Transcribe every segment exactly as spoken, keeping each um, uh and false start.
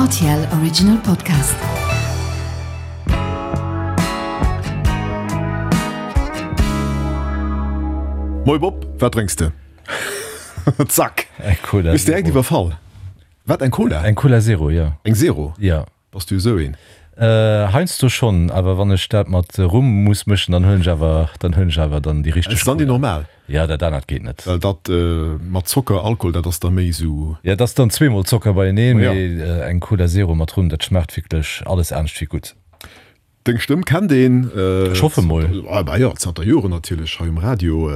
R T L Original Podcast. Moi Bob, wat drénks de? Zack! Eng Cola Bist direkt Zero. iwwerfall. Wat, eng Cola? Eng Cola Zero, jo. Eng Zero? Jo. Bass du esou een? Heiansdo schonn, awer wann ech dat mat Rum muss mëschen, dann huelen ech awer, dann huelen ech awer dann déi richteg Ass dann déi Cola. normal? Ja, dat anert geet net. Well dat mat Zocker, Alkohol, dat ass da méi esou. Ja, dat ass dann zweemol Zocker beieneen, Ja. mee eng Cola Zero mat Rum, dat schmaacht wierklech alles anescht wéi gutt. Deng Stëmm kennt een. Ech hoffe mol. Ah bah jo, zanter Joren natierlech hei um Radio.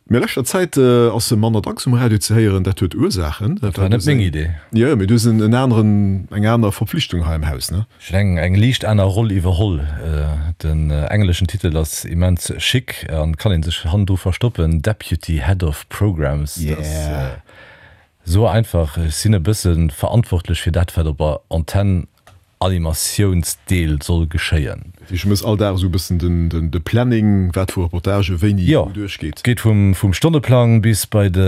Mee a leschter Zäit ass se manner dacks um Radio ze héieren. Dat huet Ursaachen. Dat war net meng Idee. Jo, mee du hues en aneren, eng aner Verpflichtung hei am Haus, ne? Ech hunn eng eng liicht aner Roll iwwerholl. Den engleschen Titel ass immens chic an kann een sech hannendru verstoppen, Deputy Head of Programs. Dat ass Yeah. esou einfach. Ech sinn e bësse verantwortlech fir dat, wat op der Antenn Animatiounsdeel soll geschéien. Dat heescht, du méchs all Dag esou e bëssen den de Planning, wat vu Reportagë wéini wou duerchgeet? Jo, geet vum vum Stonneplang bis bei de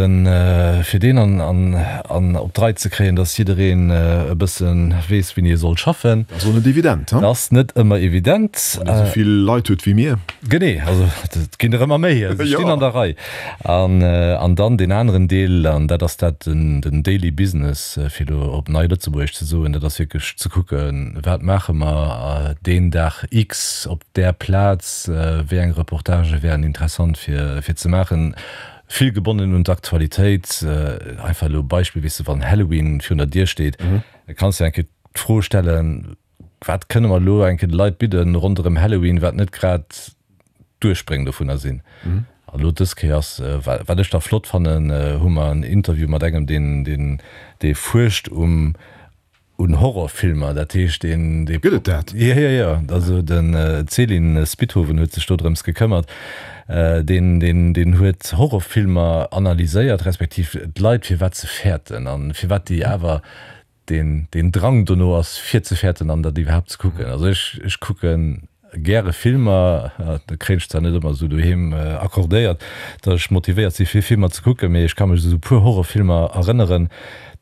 fir deen an an an op d'Rei ze kréien, dass jiddereen e bësse weess, wéini e soll schaffen. Dat ass och net evident, Dat ass net ëmmer evident. Wann ee esou vill Leit huet wéi mir. Genee, also et ginn der ëmmer méi, se stinn an der Rei. An an dann deen aneren Deel, an dat ass dat den den Daily Business, fir elo op nei Lëtzebuergesch ze soen, dat ass wierklech ze kucken, Wat maache mer deen Dag X op där Plaz? Wéi eng Reportagë wären interessant fir ze maachen? Vill gebonnen un d'Aktualitéit. Einfach elo e Beispill, weess de, wann Halloween virun der Dier steet, da kanns de eng Kéier d'Fro stellen, Wat kënne mer elo eng Kéier de Leit bidden ronderëm Halloween, wat net grad d'Uerspréng dovunner sinn? An elo dës Kéier ass, wat ech da flott fannen, hu mer en Interview mat engem, deen dee fuerscht um Un Horrorfilmer, dat heescht deen, dee. Gëtt et dat? Jo, jo, jo. Also den Céline Spithoven huet sech do drëms gekëmmert. Deen, deen, deen huet Horrorfilmer analyséiert, respektiv d'Leit firwat se fäerten an firwat déi awer deen, deen Drang dono ass fir ze fäerten an dat iwwerhaapt ze kucken. Also ech, ech kucken gäre Filmer, dat kréien ech zwar net ëmmer esou doheem accordéiert, datt ech motivéiert si fir Filmer ze kucken, mee ech ka mech u sou puer Horrorfilmer erënneren,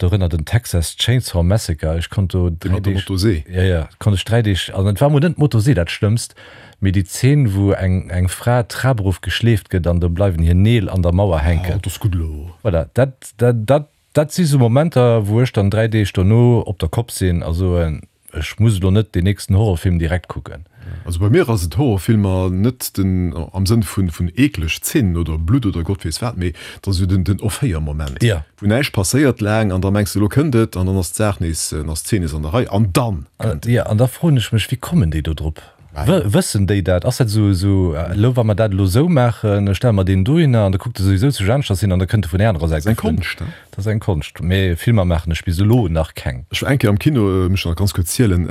dorënner den Texas Chainsaw Massacre, ech konnt do Dee dräi mat der Deeg, Motosee? jo jo, konnt ech dräi Deeg, also et war mol net d'Motosee dat Schlëmmst, mee déi Zeen wou eng eng Fra d'Trap erof geschleeft gëtt an do bleiwen hir Neel an der Mauer Ah, hänken. dat ass gutt elo. Voilà, dat dat dat dat si sou Momenter wou ech dann dräi Deeg dono op der Kopp sinn a soen, Ech muss elo net deen nächsten Horrorfilm direkt kucken. Also bei mir ass et Horrorfilmer net den am Sënn vun vun eekleg Zeen oder Blutt oder Gott weess wat, mee et ass esou den den Offéiermoment, Ja. wou näischt passéiert laang an da mengs de elo kënnt et an dann ass d'Saach nees, dann ass d'Zeen nees an der Rei an dann kënnt et. Ja, an da froen ech mech, wéi kommen déi do drop? Wëssen déi dat? Ass dat esou, esou, elo wa mer dat elo esou maachen, stelle mer deen dohinner an da kuckt e souwisou zu Jänschers hin an da kënnt e vun där anerer Säit Dat ass eng geflunn. Konscht, he? Dat ass eng Konscht. Mee Filmer maachen ech bis elo nach keng. Ech war eng Kéier am Kino, muss ech nach ganz kuerz zielen,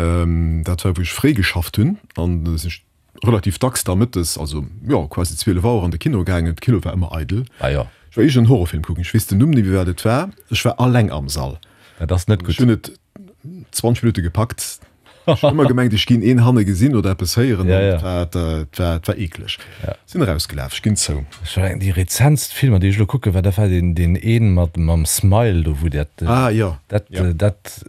dat war wou ech fréi geschafft hunn an da sinn ech relativ dacks da mëttes, also jo quasi zwielef Auer an de Kino gaangen. De Kino war ëmmer eidel. Ah jo. Ech war iergend en Horrorfilm kucken, ech weess den Numm net méi wat et war. Ech war alleng am Sall. Dat ass net Ech gutt. hunn et zwanzeg Minutte gepackt. Ech hunn ëmmer gemengt, ech ginn een hanne gesinn oder eppes héieren. Ja, ja. Et war, et war, et war eekleg. Ja. Sinn erausgelaf, ech ginn zou. Ech mengen, déi rezentst Filmer, déi ech elo kucke war, dat war deen, deen een mat, mam Smile do, wou dat, Ah, jo. dat, Ja. dat,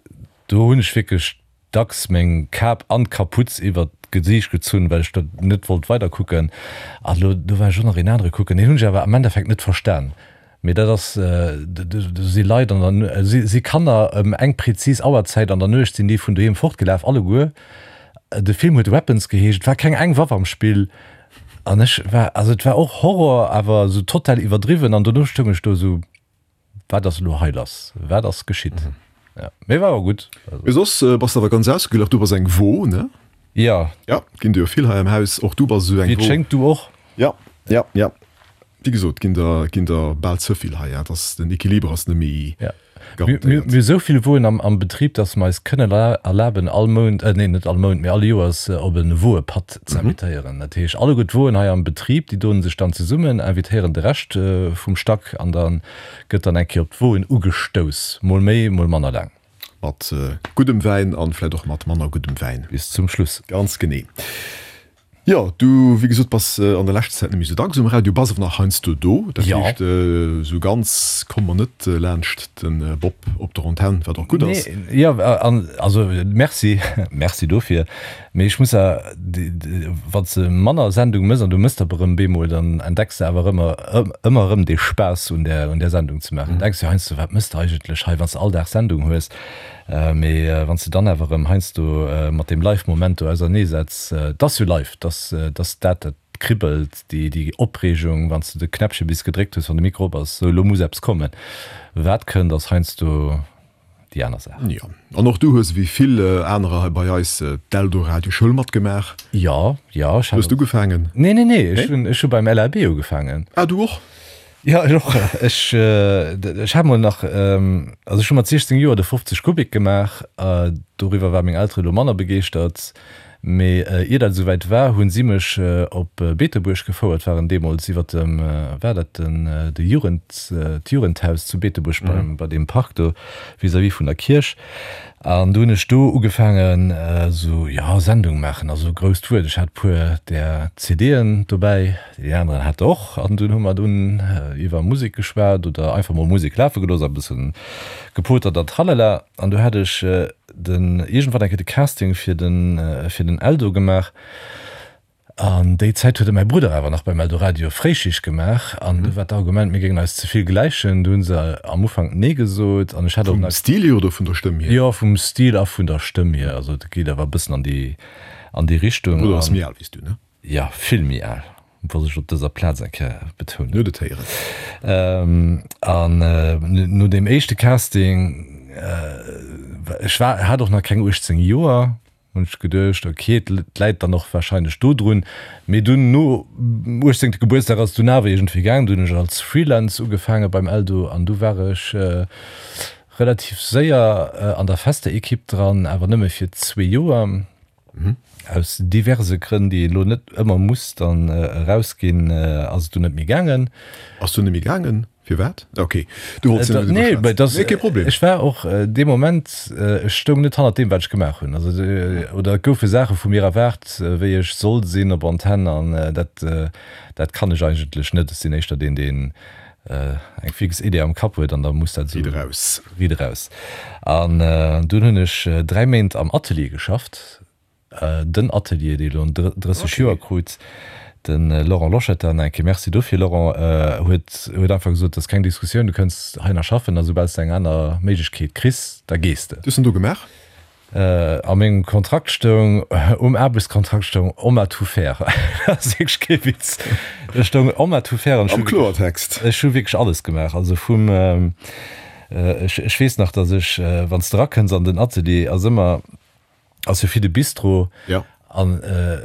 do hunn ech wierklech dacks meng Kap an d'Kaputz iwwert d'Gesiicht gezunn, well ech dat net wollt weiderkucken. An elo, do war ech och nach een anere kucken, deen hunn ech awer am Endeffekt net verstan. Mee dat ass, do si Leit an der, si Kanner ëm eng prezis Auerzäit an der Nuecht sinn déi vun doheem fortgelaf, alleguer. De Film huet Weapons geheescht, et war keng eng Waff am Spill an ech war, also et war och Horror, awer esou total iwwerdriwwen an dono stoung ech do esou, wat ass elo hei lass, wat ass geschitt? Jo, mee war awer gutt. Mee soss bass de awer ganz ausgeglach, du bass eng Wo, ne? Jo. Jo, ginn der jo vill hei am Haus, och du bass esou eng Wéi et Wo. schéngt, du och. Jo, jo, jo. Wéi gesot, ginn der, ginn der bal ze vill hei. Et ass, den Equiliber ass net méi Ja. Mir, mir, garantéiert. mir hu sou vill Woen am, am Betrib, dass mer eis kënnen erlaben, all Mount, äh, nee, net all Mount, mee all Joers op e Woepatt ze invitéieren. Dat heescht, alleguer d'Woen hei am Betrib, déi doen sech dann zesummen, invitéieren de Rescht vum Stack an da gëtt dann eng Kéier op d'Woen ugestouss. Mol méi, mol manner laang. Mat guddem Wäin an vläicht och mat manner guddem Wäin. Bis zum Schluss. Ganz genee. Jo, du, wéi gesot, bass an der leschter Zäit net méi sou dacks um Radio, bass awer nach heiansdo do. Dat Jo. heescht, sou ganz komme mer net laanscht de Bob op der Antenn, wat och gutt ass. Nee, jo, an also merci, merci dofir. Mee ech muss a, wann s de manner Sendung mëss an du mëss der erëm bemol, dann entdecks de awer ëmmer, ëmmer erëm dee Spaass un där, un där Sendung ze maachen. Denks jo heiansdo, wat mëss de eigentlech hei, wann s de all Dag Sendung hues. Mee wann s de dann awer erëm heiansdo mat deem Live-Moment do auserneesetz, 't ass jo live, 't ass, 't ass dat, dat kribbelt, déi, déi Opreegung, wann s de de Knäppche bis gedréckt hues, wann de Mikro op ass, sou elo muss eppes kommen. Wat kënnt, ass heiansdo déi aner Saach. Jo, an och du hues ewéi vill anerer hei bei eis d'Eldoradio-Schoul matgemaach. Jo, jo, ech hat. Hues du ugefaangen? Nee, nee, nee, ech hunn, ech hu beim LAB ugefaangen. Ah, du och? Jo, ech och. Ech, ech hat mol nach, also ech hu mat siechzéng Joer de fofzeg Kubik gemaach. Doriwwer ware meng Eltere lo manner begeeschtert. Mee ier dat esouwäit war, hu si mech op Beetebuerg gefouert, waren deemools iwwer dem, war dat den, de Jugend, d'Jugendhaus zu Beetebuerg beim, bei deem Park do vis-à-vis vun der Kierch. An du hunn ech do ugefaangen esou, jo, Sendung maachen ass esou e grousst Wuert. Ech hat e puer där CDen dobäi, déi aneren hat och. An dunn hu mer dunn iwwer Musek geschwat oder einfach mol Musek lafe gelooss a bësse gepotert an tralala. An du hat ech den iergendwann eng Kéier de Casting fir den, fir den Eldo gemaach. An déi Zäit huet e mäi Brudder awer nach beim Eldoradio Fréischicht gemaach an du war d'Argument, mir géingen eis ze vill gläichen. Du hunn se am Ufank nee gesot an ech hat och Vum nach. Stil hier oder vun der Stëmm hier? Jo, vum Stil a vun der Stëmm hier. Also et geet awer e bëssen an déi, an déi Richtung. Däi Brudder ass An méi al wéi s du, ne? jo, vill méi al, wollt ech op dëser Plaz eng Kéier betounen. Huet et héieren. An no deem éischte Casting, ech war, hat och nach keng uechtzéng Joer, Hunn ech geduecht, ok, et läit dann och warscheinlech dodrun. Mee dunn no uechtzéngte Gebuertsdag ass et dunn awer iergendwéi gaangen. Du hunn ech als Freelance ugefaange beim Eldo an du war ech relativ séier an der fester Ekipp dran, awer nëmme fir zwee Joer. Aus diverse Grënn, déi een elo net ëmmer muss dann erausginn, ass et dunn net méi gaangen. Ass dunn net méi gaangen? Firwat? Ok, du wollts net Nee, driwwer mä schwätzen. dass, Nee, kee Problem. ech war och dee Moment, ech stoung net hannert deem, wat ech gemaach hunn. Also, oder et goufe Saache vu mir erwaart, wéi ech soll sinn op Antenn an dat, dat kann ech eigentlech net. Ech sinn éischter deen, deen eng fix Idee am Kapp huet an da muss dat esou. Riit eraus. Riit eraus. An dunn hunn ech dräi Méint am Atelier geschafft. Den Atelier, dee elo drësseg Joer krut, de Laurent Loschetter, nach eng Kéier Merci dofir, Laurent, huet huet einfach gesot, dat ass keng Diskussioun, du kënns hei nach schaffen a soubal s de eng aner Méiglechkeet kriss, da gees de. Wat hues de do gemaach? A mengem Kontrakt stoung, um Aarbechtskontrakt stoung Homme à tout faire. Dat ass wierklech kee Witz. Do stoung Homme à tout faire an ech Am hu wierklech, Kloertext. ech hu wierklech alles gemaach. Also vum, ech ech weess nach, datt ech, wann s de erakënns an den Atelier, ass ëmmer, Ass jo fir de Bistro. Ja. An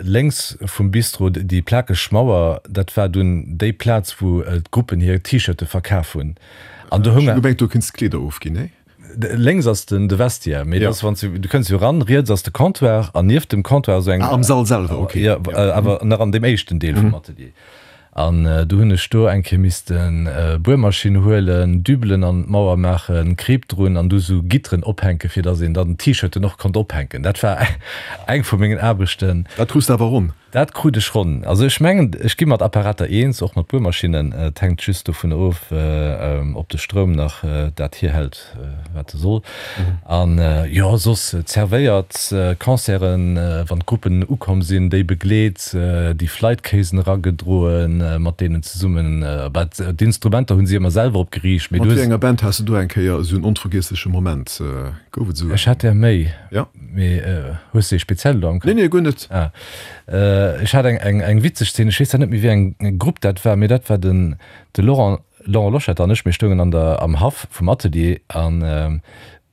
lénks vum Bistro déi plakeg Mauer, dat war dunn déi Plaz, wou d'Gruppen hir T-Shirte verkaf hunn. An do Ech houng. hunn gemengt, do kéints d'Kleeder ofginn, nee? Lénks ass den de Vestiaire, mee Ja. dat ass, wann s du, du kënns jo eran, riets ass de Comptoir an nieft dem Comptoir esou eng. Ah, am Sall selwer, okay. Jo, awer nach an deem éischten Deel vum Atelier. An du hunn ech do eng Kéier missten Buermaschinn huelen, Dübelen an d'Mauer maachen, Kreep drun an du sou Gitteren ophänken, fir dass een dann d'T-Shirten och konnt ophänken. Dat war eng vu mengen Aarbechten. Dat krus de awer ronn? Dat krut ech ronn. Also ech mengen, ech gi mat Apparater eens, och mat Buermaschinnen. Et hänkt just dovun of, ob de Stroum nach dat hierhält, wat e soll. An jo, soss zervéiert, Concerten, wann d'Gruppen ukomm sinn, déi begleet, déi Flightcasen eragedroen, mat deenen zesummen, bah, d'Instrumenter hunn si ëmmer selwer opgeriicht, mee Mat du wéi hues. enger Band has de do eng Kéier esou en onvergiessleche Moment? Gouf et esou Ech eng? hat der méi, Ja. mee hues de ee speziell elo am Nee, Kapp? nee, guer net. Ah, ech hat eng, eng, eng witzeg Szene, ech weess zwar net méi, wéi eng Grupp dat war, mee dat war den, de Laurent, Laurent Loschetter an ech, mir stoungen an der, am Haff vum Atelier an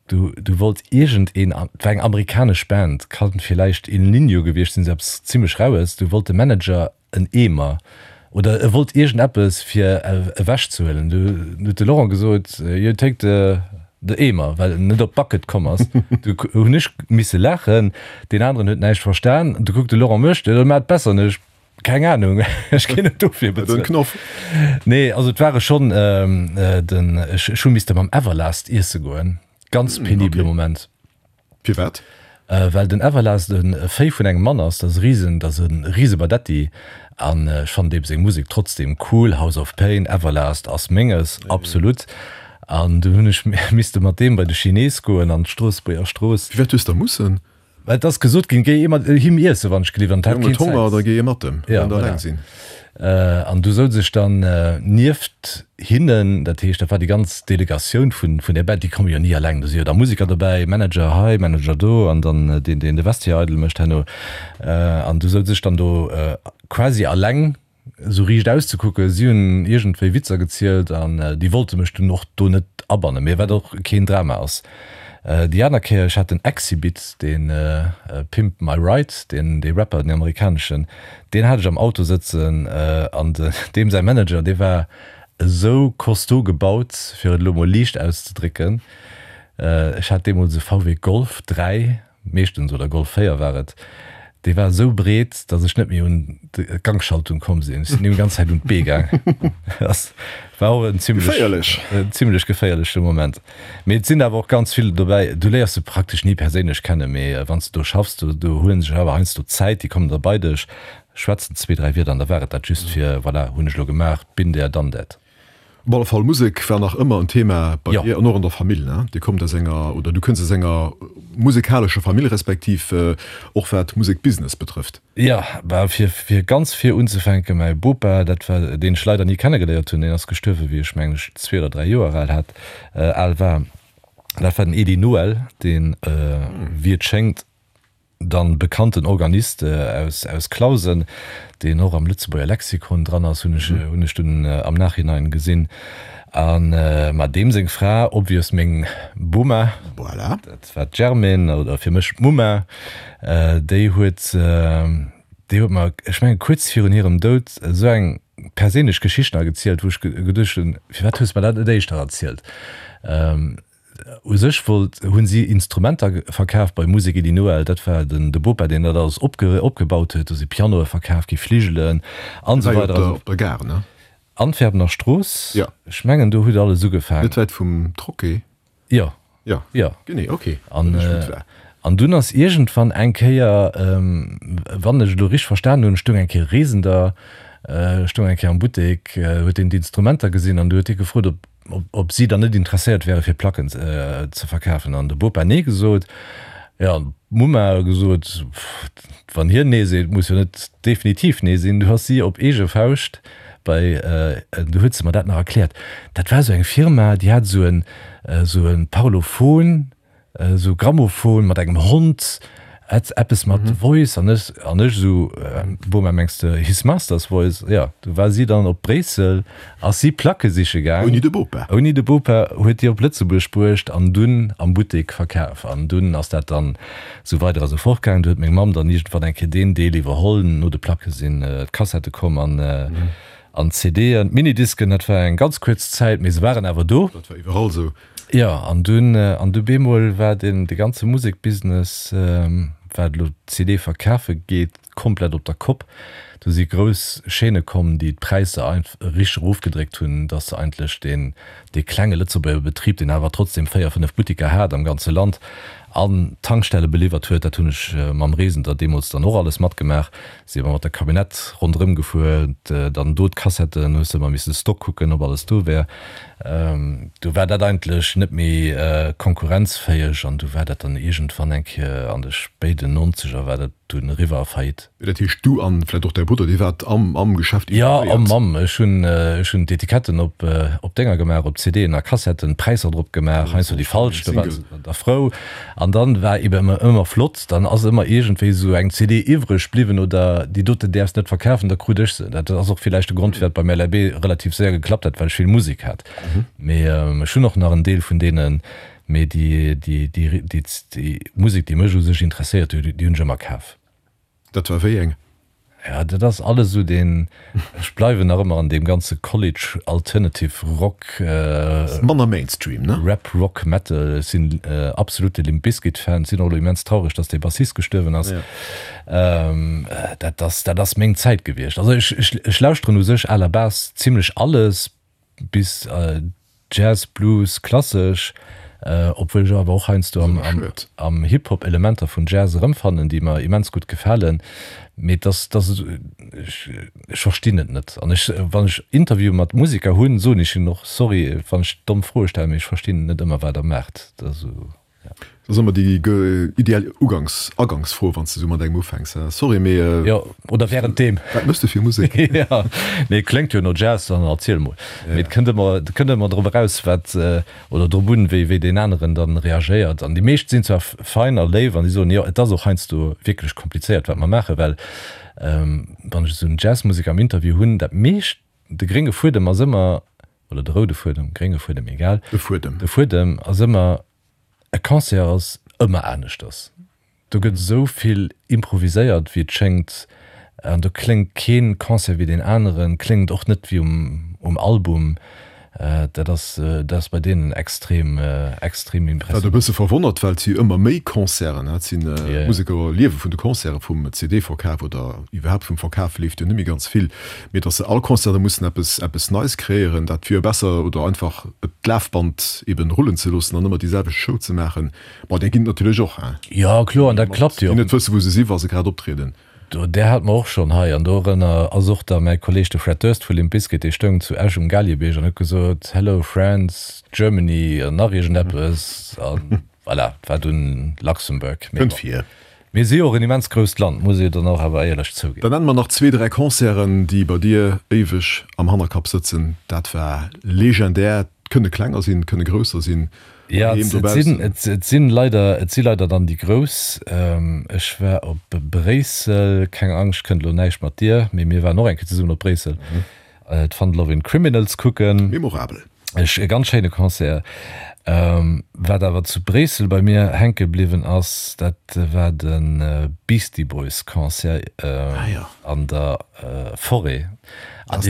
du, du wollt iergend een, et war eng amerikanesch Band, kann villäicht Il Niño gewiescht sinn, sou eppes zimmlech Raues, du wollt de Manager en Eemer oder e wollt iergend eppes fir ewech ze huelen. Du huet de Laurent gesot, you take the, the Eemer, well en net op Bucket komm ass. Du hunn ech misse laachen, deen aneren huet näischt verstan. Du kuckt de Laurent mech, jo, da maach et besser. An ech, Keng Ahnung, ech ginn net dofir Den bezuelt. Knoff. Nee, also et ware schonn den, ech hu misste mam Everlast iesse goen. Ganz penibele Okay. Moment. Firwat? Well den Everlast e Véi vun engem Mann ass, dat ass e Risen, dat ass e Risebadetti an ech fannen deem seng Musek trotzdem cool, House of Pain, Everlast ass menges, absolut. An dunn hunn ech misste mat deem bei de Chines goen an d'Stroossbuerger Strooss. Firwat hues de mussen? Well et ass gesot ginn, géi ee mat him iessen, wann ech gelift, an et hat Jong huet keen Honger, Zäit. da géi ee mat em, Ja, wann der voilà. eleng sinn. An du souz ech dann nieft hinnen, dat heescht, dat war déi ganz Delegatioun vun vun där Band, déi komme jo ni eleng, do si jo da Museker dobäi, Manager hei, Manager do an dann deen, deen de Vestiaire eidel mécht herno. An du souz ech dann do quasi eleng esou riicht auszekucken. Si hunn iergendwéi Witzer gezielt an déi wollte mech dunn och do net abannen, mee wat och keen Drama ass. Déi aner Kéier, ech hat den Xzibit, dee Pimp My Ride, deen dee Rapper, den amerikaneschen, deen hat ech am Auto sëtzen an deem säi Manager, dee war esou costaud gebaut, fir et elo mol liicht auszedrécken, ech hat deemools e V W Golf dräi, meeschtens, oder Golf véier war et, dee war esou breet, datt ech net méi un d'Gangschaltung komm sinn. Ech sinn him déi ganz Zäit un d'Bee gaang. Dat war och en zimlech, Geféierlech. en zimlech geféierleche Moment. Mee et sinn awer och ganz vill dobäi, du léiers se praktesch ni perséinlech kennen, mee wann s de do schaffs, do, do huele sech awer heiansdo Zäit, déi kommen da bei dech, schwätzen zwee, dräi Wierder an da war et dat, just fir, voilà, hunn ech elo gemaach, been there, done that. Op alle Fall, Musek war nach ëmmer en Thema bei Jo. dir an och an der Famill, ne? Dir kommt aus enger, oder du kënns aus enger musikalescher Famill, respektiv och wat Musekbusiness betrëfft. Jo, bah, fir, fir ganz vir unzefänken, mäi Bopa, dat war, deen ech leider ni kennegeléiert hunn, deen ass gestuerwen, wéi ech, mengen ech, zwee oder dräi Joer al hat, al war, dat war den Edy Noël, deen, wéi et schéngt, dann bekannten Organist aus aus Clausen, deen och am Lëtzebuerger Lexikon dran ass, hunn ech hunn ech dunn am Nachhinein gesinn. An ma deem seng Fra, obvious meng Boma, Voilà. dat war d'Germaine, oder fir mech d'Mumma, déi huet déi huet mer, ech mengen kuerz virun hirem Doud, esou eng perséinlech Geschicht nach gezielt, wou ech geduecht hunn, firwat hues de mer dat net éischter erzielt? U sech wollt, hunn si Instrumenter verkaf bei Musek Edy Noël, dat war den de Bopa, deen dat alles opge opgebaut huet. Do si Pianoe verkaf gi, Fligelen an esou War jo weider. op der, Also op der Gare, ne? Antwerpener Strooss, Ja. ech mengen do huet alles ugefaangen. Net wäit vum Troquet? Jo. Ja. Jo. Genee, okay. An, Dann ech wou et war. an dunn ass iergendwann eng Kéier, wann ech elo richteg verstanen hunn, stoung eng Kéier Reesender, stoung eng Kéier am Buttek, huet deen d'Instrumenter gesinn an du huet hie gefrot, ob ob si dann net interesséiert wäre fir Placken ze verkafen an de Bopa nee gesot. Jo, an d'Mumma huet gesot, wann hien nee seet, muss jo net definitiv nee sinn. Du ass si op eege Fauscht bei, du huet se mer dat nach erkläert, dat war esou eng Firma, déi hat esou en esou e Parlophon, Esou Grammophon mat engem Hond, eppes mat Voice an ech an ech esou, Boma mengs de His Master's Voice? Jo, du war si dann op Bréissel, ass si Placke siche gaang. Ouni de Bopa? Ouni de Bopa, huet déi op Lëtzebuerg bruecht an dunn am Buttek verkaf. An dunn ass dat dann esou weider a sou fort gaang. Du huet meng Mamm dann iergendwann eng Kéier deen Deel iwwerholl. No de Placke sinn d'Kassette komm an an d'C D'en, d'Minidisken, dat war eng ganz kuerz Zäit, mee se waren awer do. Dat war iwwerall esou. Jo, an dunn, an du bemol war den, de ganze Musekbusiness, wat elo d'C D verkafe geet, komplett op der Kopp. Do si grouss Chaîne komm, déi d'Präisser einf richteg erofgedréckt hunn, dass se eigentlech deen, dee klenge Lëtzebuerger Betrib, deen awer trotzdem véier, fënnef Buttiker hat am ganze Land an Tankstelle beliwwert huet, dat hunn ech mam Reesender deemools dann och alles matgemaach, si mer mat der Camionnette ronderëm gefuer, dann do d'Kassetten, hues de ëmmer missen de Stock kucken, ob alles do wär. Du war dat eigentlech net méi konkurrenzfäeg an du war dat dann iergendwann eng Kéier an de spéiden Nonzeger war dat dunn eriwwer a Faillite. Dat heescht, du an vläicht och däi Brudder, dir waart am am Geschäft Jo, involvéiert? am am. Ech hunn ech hunn d'Etiketten op op Dénger gemaach, op C D'en a Kassetten, d'Präisser drop gemaach, heiansdo déi falsch, da waren se da frou. An dann war eben ëmmer ëmmer flott, dann ass ëmmer iergendwéi esou eng C D iwwreg bliwwen oder déi doten däerfs net verkafen, da krut ech se. Dat ass och villäicht de Grond, firwat beim L A B relativ séier geklappt hat, well ech vill Musek hat. Mee ech hunn och nach en Deel vun deenen, mee déi déi déi déi déi Musek, déi mech u sech interesséiert huet, déi hunn ech ëmmer kaf. Dat war wéi eng? Ja, dat ass alles esou deen, ech bleiwen nach ëmmer an deem ganze College Alternative Rock, Manner Mainstream, ne? Rap, Rock, Metal. Ech sinn absolute Limp Bizkit Fan, sinn och elo immens traureg, dass dee Bassist gestuerwen ass. Dat ass, dat ass meng Zäit gewiescht. Also ech, ech, ech lauschteren u sech à la base zimlech alles, bis Jazz, Blues, klassesch. Obwuel ech awer och heiansdo am, am, am Hip-Hop Elementer vun Jazz erëmfannen, déi mer immens gutt gefalen. Mee dass, dass, ech, ech verstinn et net. An ech, wann ech Interviewe mat Museker hunn, soen ech hinnen och, Sorry, wann ech domm Froe stellen, mee ech verstinn net ëmmer, wat der maacht. Also, ja. Dat ass ëmmer déi ideal Ugangs, Agangsfro, wann s de esou mat engem ufänks, Sorry, mee. Jo, oder wärenddeem. Wat méchs de fir Musek? Jo, mee kléngt jo no Jazz, dann erziel mol. Mee et kënnt ëmmer, et kënnt ëmmer drop eraus, wat, oder drop un, wéi, wéi deen aneren dann reagéiert. An déi meescht sinn zwar fein a léif an déi soen, jo, et ass och heiansdo wierklech komplizéiert, wat mer maachen, well wann ech esou en Jazzmuseker am Interview hunn, dat meescht, de grénge Fuedem ass ëmmer, oder de roude Fuedem, grénge Fuedem, egal. De Fuedem. De Fuedem ass ëmmer, E Concert ass ëmmer aneschters. Do gëtt esou vill improviséiert, wéi et schéngt, an do kléngt kee Concert wéi deen aneren, kléngt och net wéi um Album. Dat ass, dat ass bei deenen extrem, extrem Wat e impressionant. bësse verwonnert, well et si jo ëmmer méi Concerten, et sinn Museker liewe vun de Concerten, vum C D-Verkaf oder iwwerhaapt vum Verkaf leeft jo net méi ganz vill, mee datt se all Concert da mussen eppes, eppes Neis kreéieren, dat wier jo besser oder einfach et d'Lafband eben rullen ze loossen an ëmmer déi selwecht Show ze maachen. Bon, där ginn et natierlech och, hein, Jo, kloer, an déi dat klappt jo déi och. net wëssen, wou se si wa se grad optrieden. Do, där hate mer och schonn hei, an dorënner ass och da mäi Kolleeg, de Fred Durst vu Limp Bizkit, dee stoung zu Esch um Galiebierg an huet gesot, Hello France, Germany an nach iergendeppes, a voilà, et war dunn Luxembourg. Mee Kënnt bon, vir. mir si jo och en immens grousst Land, muss ee jo dann och awer éierlech zouginn. Dann nenne mer nach zwee, dräi Concerten, déi bei dir éiweg am Hannerkapp sëtzen. Dat war legendär. Et kënne klenger sinn, et kënne grousser sinn. Ja, et sinn, et sinn leider, et si leider dann déi grouss. Ech war op Bréissel, keng Angscht, kënnt elo näischt mat dir, mee mir waren och eng Kéier zesummen op Bréissel, d'Fun Lovin' Criminals kucken. Memorabel. Ech, e ganz schéine Concert. Wat awer zu Bréissel bei mir hänke bliwwen ass, dat war de Beastie Boys Concert an der Forêt. An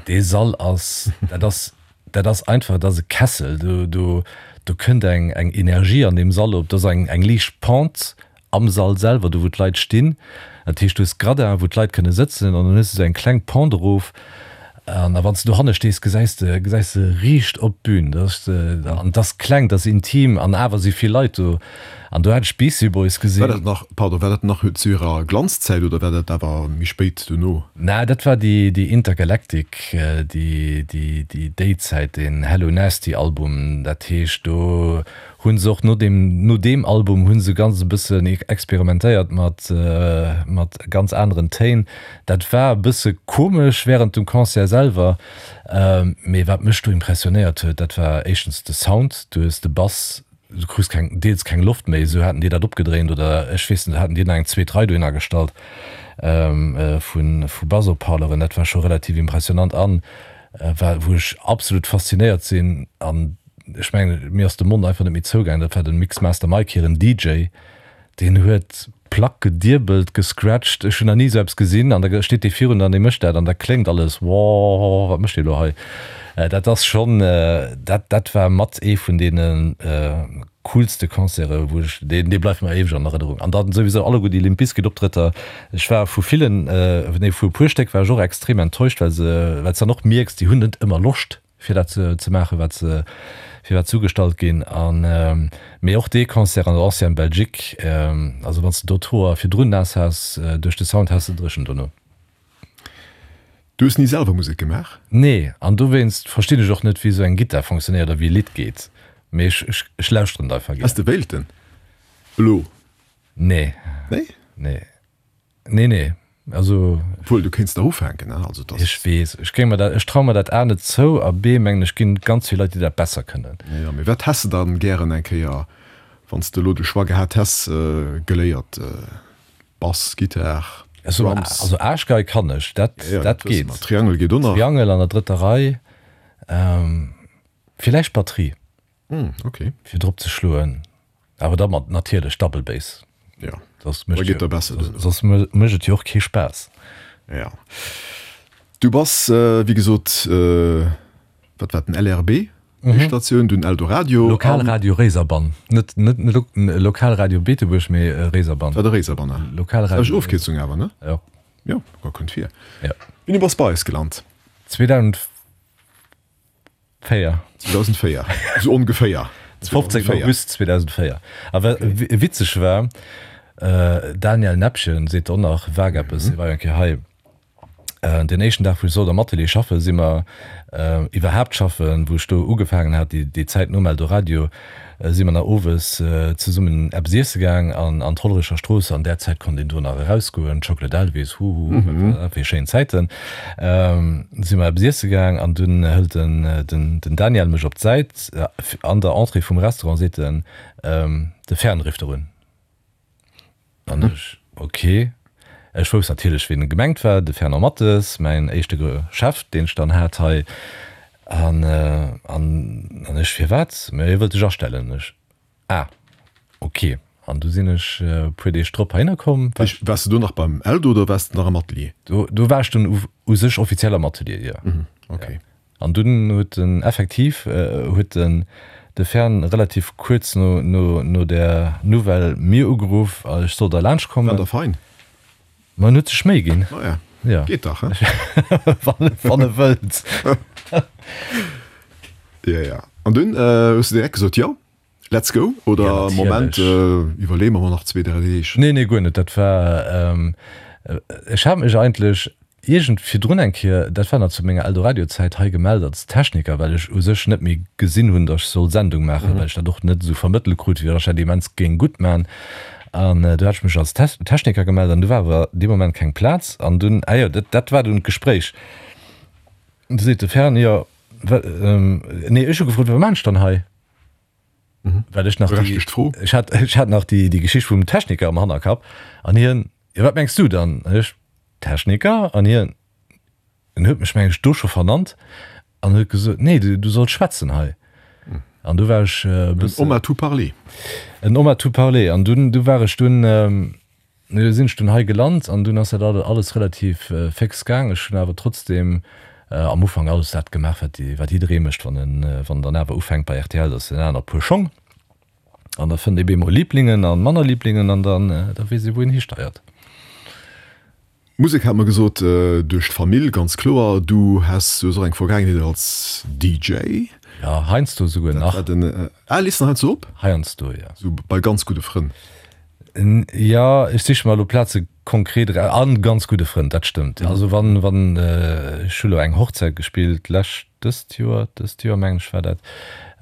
dee Sall ass, dat ass, Dat ass einfach, dat ass e Kessel, do, do, do kënnt eng, eng Energie an deem Sall op, do ass eng, eng liicht Pente am Sall selwer, do wou d'Leit stinn. Dat heescht, du hues Gradin, wou d'Leit kënne sëtzen an dann hues de esou eng kleng Pente erof an a wann s de dohanne stees, gesäis de, gesäis de riicht op d'Bün. Dat ass, an et ass kleng, et ass intim an awer si vill Leit do. An do hat ech d'Beastie Boys War gesinn. dat nach, pardon, war dat nach zu hirer Glanzzäit oder war dat awer méi spéit dono? Naa, dat war déi, déi Intergalactic, déi, déi, déi, déi Zäit, deen Hello Nasty Album. Dat heescht, do hu se och no deem, no deem Album hu se ganz e bëssen experimentéiert mat, mat ganz aneren Téin. Dat war e bësse komesch während dem Concert selwer, mee wat mech do impressionéiert huet, dat war éischtens de Sound. Du hues de Bass Du krus keng, deels keng Loft méi, esou haten déi dat opgedréint oder ech weess net, haten déi nach eng zweet Rei dohinner gestallt vu vu Basshautparleuren. Dat war scho relativ impressionant an war, wou ech absolut faszinéiert sinn an ech mengen, mir ass de Mond einfach net méi zougaangen, dat war den Mixmaster Mike hiren D J. Deen huet d'Plack gediebelt, gescratcht, ech hunn nach ni esou eppes gesinn. An da steet dee virun der an dee mécht dat an da kléngt alles, Woah, wat mécht dee lo hei? Dat ass schonn, dat dat war mat ee vun deene coolste Concerte wou ech, deen dee bleift mer éiweg an Erënnerung. An dann souwisou alleguer déi Limp Bizkit Optrëtter. Ech war vu villen, nee vu e puer Stéck war ech och extrem enttäuscht, well se, well s dann och mierks, déi hunn net ëmmer Loscht. fir dat ze maachen, wat se, fir wat se ugestallt ginn. An, mee och dee Concert an der Ancienne Belgique, also wann s de do d'Hoer virdrun naass has duerch de Sound, has de dréchen dono. Du hues ni selwer Musek gemaach? Nee, an dowéinst verstinn ech och net, wéi esou eng Gittar fonctionnéiert a wéi e Lidd geet. Mee ech, ech, ech lauschteren et einfach gär. Häss de wéilten elo? Nee. Nee? Nee. Nee, nee, also. Obwuel, du kéints nach ufänken, ne? Also, dass. Ech weess, ech géing mer dat, ech traue mer dat A net zou a B mengen ech ginn ganz vill Leit, déi dat besser kënnen. Jo, mee wat häss de dann gären eng Kéier, wann s de elo de Choix gehat häss, geléiert? Bass, Gittar, Drums? Also Aarschgei kann ech, dat, Jo, dat dat wësse geet. mer. Triangel geet och nach. Triangel an der drëtter Rei, villäicht Batterie. Hm, okay. Fir drop ze schloen. Awer da mat natierlech Double Bass. Ja, Soss da mécht geet jo, der besser duerno. soss mécht et jo och kee Spaass. Ja. Du bass, wéi gesot, wat war den L R B, déi Statioun, dunn Eldoradio an. Lokalradio Réiserbann. Net, net Lokalradio Beetebuerg, mee Réiserbann. War de Réiserbann, ne? Lokalradio. Ass Ofkierzung awer, ne? Jo. Jo, kënnt vir. Ja. Wéini bass bei eis gelant? zweedausendvéier. zweedausendvéier, esou ongeféier. fofzéngten August zweedausendvéier. A wat witzeg war, Daniel Näppchen seet och nach vag eppes, hie war jo eng Kéier hei. Deen éischten Dag, wou ech sollt am Atelier schaffen, si mer iwwerhaapt schaffen, wou ech do ugefaangen hat, déi Zäit nom Eldoradio, si mer nach owes zesummen eppes iesse gaang an an d'Hollerecher Strooss. An där Zäit konnt een do nach erausgoen, Chocolate Elvis, huhu, wat fir schéin Zäiten. Si mer eppes iesse gaang an dunn hëlt den den Daniel mech op d'Säit an der Entrée vum Restaurant, seet en, De Fern rifft erun. An ech, Ok. Ech wousst natierlech, wien gemengt war, de Fernand Mathes, mäin éischte Chef, deen ech dann hat hei. An, an, an ech, Firwat? Mä hie wëllt dech astellen. Ech, Ah, ok. An du sinn ech e puer Deeg drop heihinner komm. War Waars de do nach beim Eldo oder waars de nach am Atelier? Do, do war ech dunn u, u sech offiziell am Atelier, jo. Ok. An dunn huet en effektiv, huet den de Fern relativ kuerz no, no, no där Nouvelle mir ugeruff, ech soll da laanscht War kommen. da fein? Ma en huet sech Méi ginn. Naja, Ja. geet dach, he? Wann, wann e wëllt. Ja, ja. An dunn hues de direkt gesot, jo, let's go? Oder Ja, Moment, natierlech. iwwerleeë mer mol nach zwee, dräi Deeg? Nee, nee, guer net. Dat war, ech hat mech eigentlech iergend virdrun eng Kéier, dat war nach zu menger Eldoradio-Zäit, hei gemellt als Techniker, well ech u sech net méi gesinn hunn, datt ech soll Sendung maachen, well ech dat och net esou vermëttelt krut, wéi datt ech dat immens géing gutt maachen. An du hat ech mech als Techniker gemellt an du war awer dee Moment keng Plaz. An dunn, ah jo, dat, dat war dunn d'Gespréich. Du seet de Fern, jo, wa, nee, ech hu gefrot, wat maan ech dann hei? Well ech nach déi, Berechtegt Fro. ech hat, ech hat nach déi, déi Geschicht vum Techniker am Hannerkapp. An hien, jo, wat mengs du dann? An ech, Techniker? An hien, en huet mech, meng ech, do scho vernannt an huet gesot, nee, du, du solls schwätzen hei. An du war ech e bëssen. En homme à tout parler. En homme à tout parler. An dunn, du war ech dunn, du sinn ech dunn hei gelant an dunn ass dat alles relativ féx gaang. Ech hunn awer trotzdem am Ufank alles dat gemaach, wat, wat jidderee mécht, wann en, wann en dann awer ufänkt bei rtl, dat ass en aner Puer Schong. An da fënnt ee bemol Liblingen an manner Liblingen an dann, da weess ee wou een histeiert. Musek hat mer gesot, duerch d'Famill ganz kloer. Du has, du hues och eng Vergaangenheet als D J. Jo, heiansdo souguer Dat nach. war den, ah, lees nach heiansdo op? Heiansdo, jo. Sou bei ganz gudde Frënn? Jo, ech siche mer elo Plaze konkret eraus. An ganz gudde Frënn, dat stëmmt. Also wann, wann, ech hu lo eng Hochzäit gespillt lescht, dëst Joer, dëst Joer mengen ech war dat.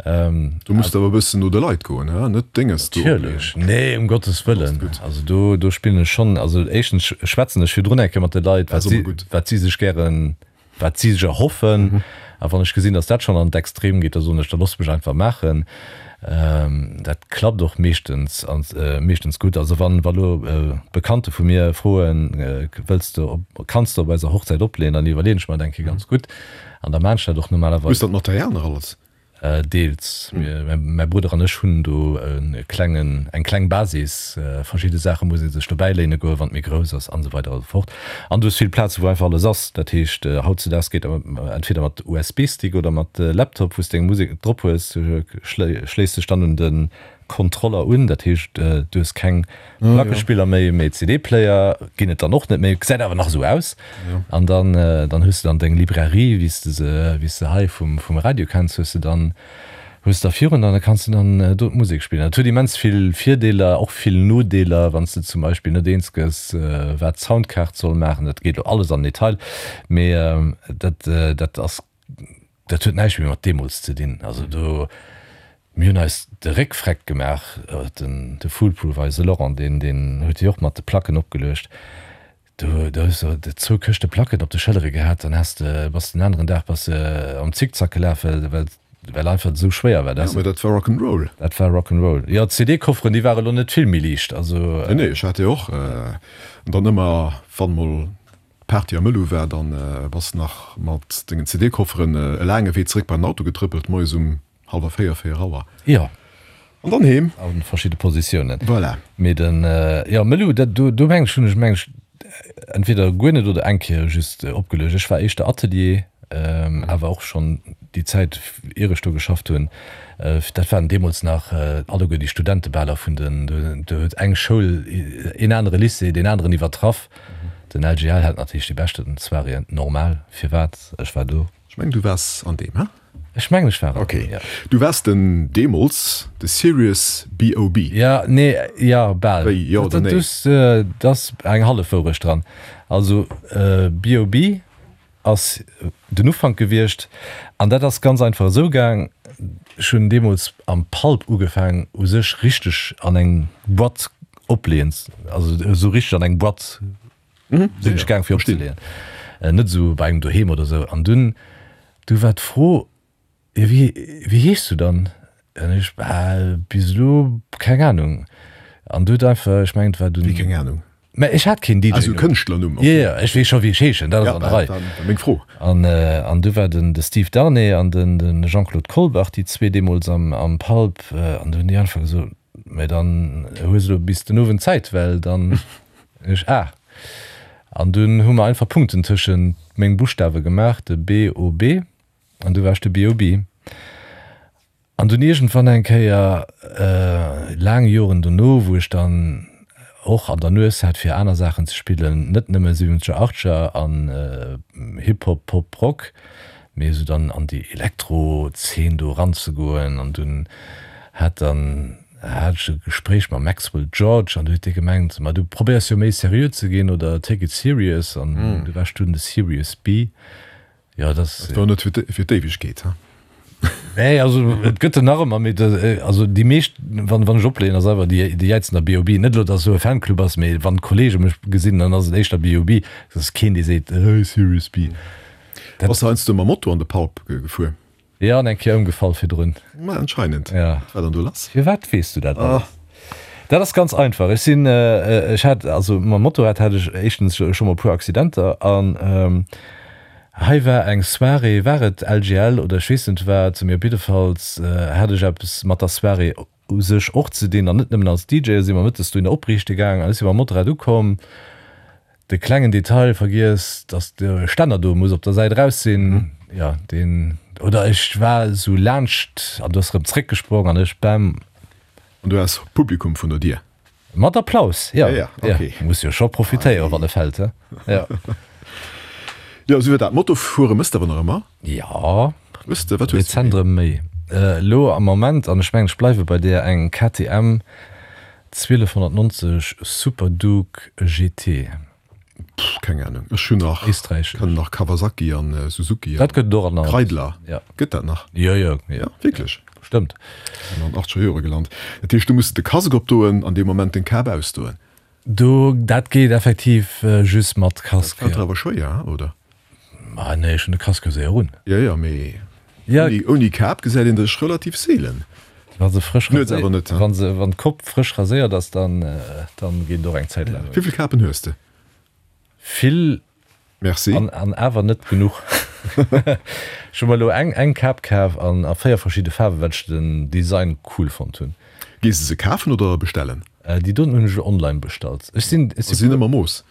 Do muss de awer e bëssen no de Leit goen, he? Net Dénges do opleeën. Natierlech, nee, um Gottes Wëllen. Gutt. Also do, do spillen ech schonn, also éischtens schwätzen ech virdrun eng Kéier mat de Leit, Dat wat ass si, ëmmer gutt. wat si sech gären, wat si sech erhoffen. A wann ech gesinn, datt dat schonn an d'Extrem geet, da soen ech, da loosst mech einfach maachen. Dat klappt och meeschtens, meeschtens gutt. Also wann, wa lo Bekannte vu mir froen, wëlls de op, kanns de op eiser Hochzäit opleeën, dann iwwerleeën ech mer dat eng Kéier ganz gutt. An da maan ech dat och normalerweis. Hues dat Material nach alles? Deels. Mäi Brudder an ech hunn do e klengen, eng kleng Basis. Verschidde Saache muss ee sech dobäi léine goen, wann et méi grouss ass an esou weider a sou fort. An du hues vill Plaze wou einfach alles ass. Dat heescht, hautzedaags geet entweder mat U S B-Stick oder mat Laptop, wou s deng Musek drop hues. Du schléiss dech dann un de Kontroller un, dat heescht, du hues keng Plackespiller méi, mee C D-Player ginn et dann och net méi, gesäit awer nach esou aus. An dann, dann hues de dann deng Librairie, wéi s de se, wéi s de hei vum, vum Radio kenns, hues de dann, hues de da virun der an da kanns de dann do d'Musek spillen. Dat huet immens vill Virdeeler, och vill Nodeeler, wann s de zum Beispill net eens gëss, wat d'Soundkaart soll maachen. Dat geet elo alles an den Detail, mee dat, dat ass, dat huet näischt méi mat deemools ze dinn. Also do. Mir hunn eis de Réck freck gemaach, den de Foolproof, eise Laurent, deen deen huet déi och mat de Placken opgeluecht. Do do hues de zwou Këschte Placken op de Schëllere gehat, dann has de bass den aneren Dag bass de am Zickzack gelaf, well well well einfach et esou schwéier war. Ja, mä dat war Rock'n'Roll. Dat war Rock'n'Roll. Jo, d'C D-Kofferen, déi ware lo net vill méi liicht, also. Nee, nee, ech hat déi och. An dann ëmmer, wann mol d'Party am Ëllu war, dann bass de nach mat dengen C D-Kofferen e laange Wee zeréck bei den Auto getrëppelt, moies um Halwer véier, véier Auer. Jo. An dann heem. A verschidde Positiounen. Voilà. Mee den, jo, Mëllu, dat, do, do mengen ech, hunn ech, mengen ech, entweder guer net oder eng Kéier just opgeluecht. Ech war éischter Atelier, awer och schonn déi Zäit, ier ech do geschafft hunn. Dat waren deemools nach alleguer déi Studentebaler vun den, do huet eng Schoul een anere Lycée deen aneren iwwertraff. Den L G L hat natierlech déi beschten Soiréeën, normal, firwat, ech war do. Ech mengen, du waars an deem, he? Ech mengen ech war et. Ok. Du waars den deemools de Serious B O B. Ja, nee, ja, bal. Wéi, jo oder nee? Dat ass eng hallef Wourecht dran. Also B O B ass den Ufank gewiescht an dat ass ganz einfach esou gaang, ech hunn deemools am Pulp ugefaang u sech richteg an eng Boîte opleeën, also esou richteg an eng Boîte sinn ech gaang fir opzeleeën, net esou bei engem doheem oder esou. An dunn, du war d'Fro, Jo wéi, wéi heeschs du dann? An ech, Bah, bis elo keng Ahnung. An du huet einfach, ech mengen et war dunn. Wéi keng Ahnung? Mä ech hat keen D J-Numm. Also Kënschtlernumm? Jo, jo, ech weess scho wéi ech heeschen, dat ass an der Rei. Ja, dat war meng Fro. An, an du war den de Steve Darnay an den de Jean-Claude Colbach, déi zwee deemools am, am Pulp, an du hunn déi einfach gesot, Mä dann hues elo bis den Owend Zäit, well dann. Ech, Ah. An dunn hu mer einfach Punkten tëschent meng Buschtawe gemaach, de B O B. An du war ech de B O B. An dunn iergendwann eng Kéier, laang Joren dono, wou ech dann och an der Nues hat fir aner Saachen ze spillen, net nëmme siwwenzeger, achtzeger an Hip-Hop, Pop, Rock, mee esou dann an déi Elektro-Zeen do eranzegoen. An dunn hat dann hat ech e Gespréich mam Maxwell George an du huet dee gemengt, ma du probéiers jo méi seriö ze ginn oder take it serious an du war ech dunn de Serious B. Jo, dat ass. Dat war net fir d'Éiwegkeet, he? Nee, also et gëtt en nach ëmmer, mee also déi meescht, wann wann ech opleeën, ass einfach déi déi jäizen da B O B. Net elo, datt esou e Fanclub ass, mee wann d'Kollege mech gesinn, dann ass et éischter B O B. Et ass keen, dee seet, Hey, Serious B. Dat. Bass de heiansdo mam Moto an de Pulp gefuer? Jo, an eng Kéier ëmgefall virdrun. Ma anscheinend. Ja. Wat war dann do lass? Firwat weess du dat alles? Dat ass ganz einfach. Ech sinn, ech hat, also mam Motorrad hat ech éischtens scho mol e puer Accidenter an hei war eng Soirée, war et L G L oder ech weess net wat, mee op jiddefalls hat ech eppes mat der Soirée u sech och ze dinn an net nëmmen als D J. Si mer mëttes dohinner opriichte gaang an ech si mam Motorrad ukomm, de klengen Detail vergiess, dass de Stänner do muss op der Säit eraus sinn, jo deen, oder ech war esou laanscht an du ass erëm zréckgesprong an ech, bam. An du has Publikum vun der Dier? Mat Applaus, jo. Ja, okay. Muss jo scho profitéieren, wann e fält, he? Jo. Jo, esou war dat. Motofuere mëss de awer nach ëmmer? Jo. Hues de, wat hues de? Rezent erëm méi. Elo am Moment, an ech mengen, ech bleiwe bei där, eng K T M zwielefhonnertnonzeg Super Duke G T. Pff, keng Ahnung. Ech hunn nach, Éisträichesch. kennen nach Kawasaki an Suzuki Dat gëtt et och an Kreidler. Ja. Gëtt dat nach? Jo, jo, jo. Ja, wierklech? Stëmmt. Sinn an achtzeger Jore gelant. Dat heescht, du muss de Casque opdoen an dee Moment den Kap ausdoen. Do, dat geet effektiv just mat Casque. Dat fält der awer schwéier, oder? Ma nee, ech hunn de Casque jo séier un. Jo, jo, mee ouni, ouni Kap gesäit een dech relativ seelen. Wa se frësch Nuets awer net, wa se, wann d'Kopp frësch raséiert ass, dann, dann geet et och eng Zäit laang. Wéivill Kapen hues de? Vill. Merci. An, an awer net genuch. Ech hu mer elo eng, eng Kap kaf an a véier verschidde Faarwen, well ech den Design cool fonnt hunn. Gees de se kafen oder bestellen? Déi doten hunn ech elo online bestallt. Ech sinn, ech sinn. Sinn ëmmer Mooss?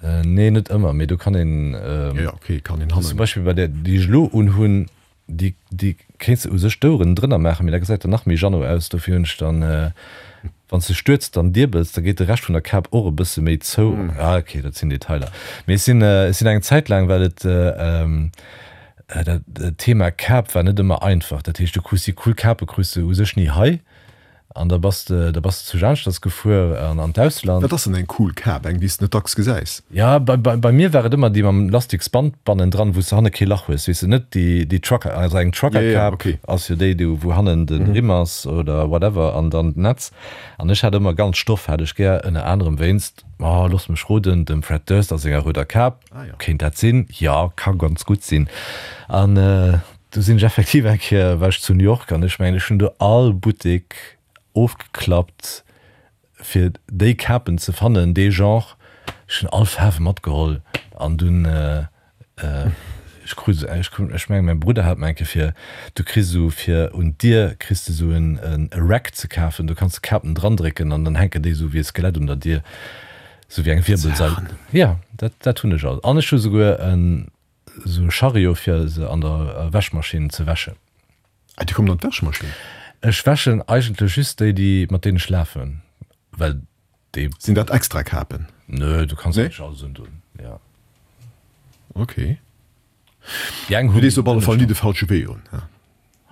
Nee, net ëmmer, mee do kann een. Jo, jo, ok, kann een hannen. Zum Beispill bei där, déi ech elo unhunn, déi, déi kéints de u sech d'Oueren drënner maachen, mee da gesäit der nach méi Jeannot aus. Dofir hunn ech dann, wann s de stuerz dann diebels, da geet de Rescht vun der Kap och e bësse méi zou. Ah, ok, dat sinn Detailer. Mee ech sinn, ech sinn eng Zäit laang, well et dat Thema Kap war net ëmmer einfach. Dat heescht, du krus déi cool Kape krus de u sech ni hei. An da bass de, da bass de zu Jaanschdass gefuer an an d'Ausland. Wat ass denn eng cool Kap? Eng, déi s de net dacks gesäis? Ja, bei, bei, bei mir war et ëmmer déi mam Lastiksband bannendran, wou s de hanne kee Lach hues, weess de, net déi, déi Trucker, also eng Ja, ja, Trucker-Kap okay. ass jo déi, déi, wou hannen de Rimm ass oder whatever an dann d'Netz. An ech hat ëmmer ganz Stoff hat ech gär, ënner anerem wéinst, oh, looss mech roden, dem Fred Durst a senger rouder Kap. Ah ja. Kéint dat sinn? Jo, ka ganz gutt sinn. An do sinn ech effektiv eng Kéier, war ech zu New York an ech mengen, ech hunn do all Buttek ofgeklappt, fir déi Kapen ze fannen, dee Genre. Ech hunn all Faarwe matgeholl an dunn, ech krut esou, ech krut, ech mengen, mäi Brudder hat mer eng Kéier fir, du kriss esou fir un d'Dier kriss de esou en e Rack ze kafen, do kanns de Kapen drandrécken an dann hänken déi esou wéi e Skelett un der Dier, esou wéi eng Wirbelsail. Jo, dat, dat hunn ech alt. An ech hu souguer en Sou e Chariot fir se an der Wäschmaschinn ze wäschen. Ah, déi kommen an d'Wäschmaschinn? Ech wäschen eigentlech just déi, déi mat deenen ech lafen, well déi. Sinn dat extra Kapen? Nö, du kanns eigentlech alles undun, jo. Ok. Déi eng Du hunn dees op alle Fall ni de falsche Wee un, he?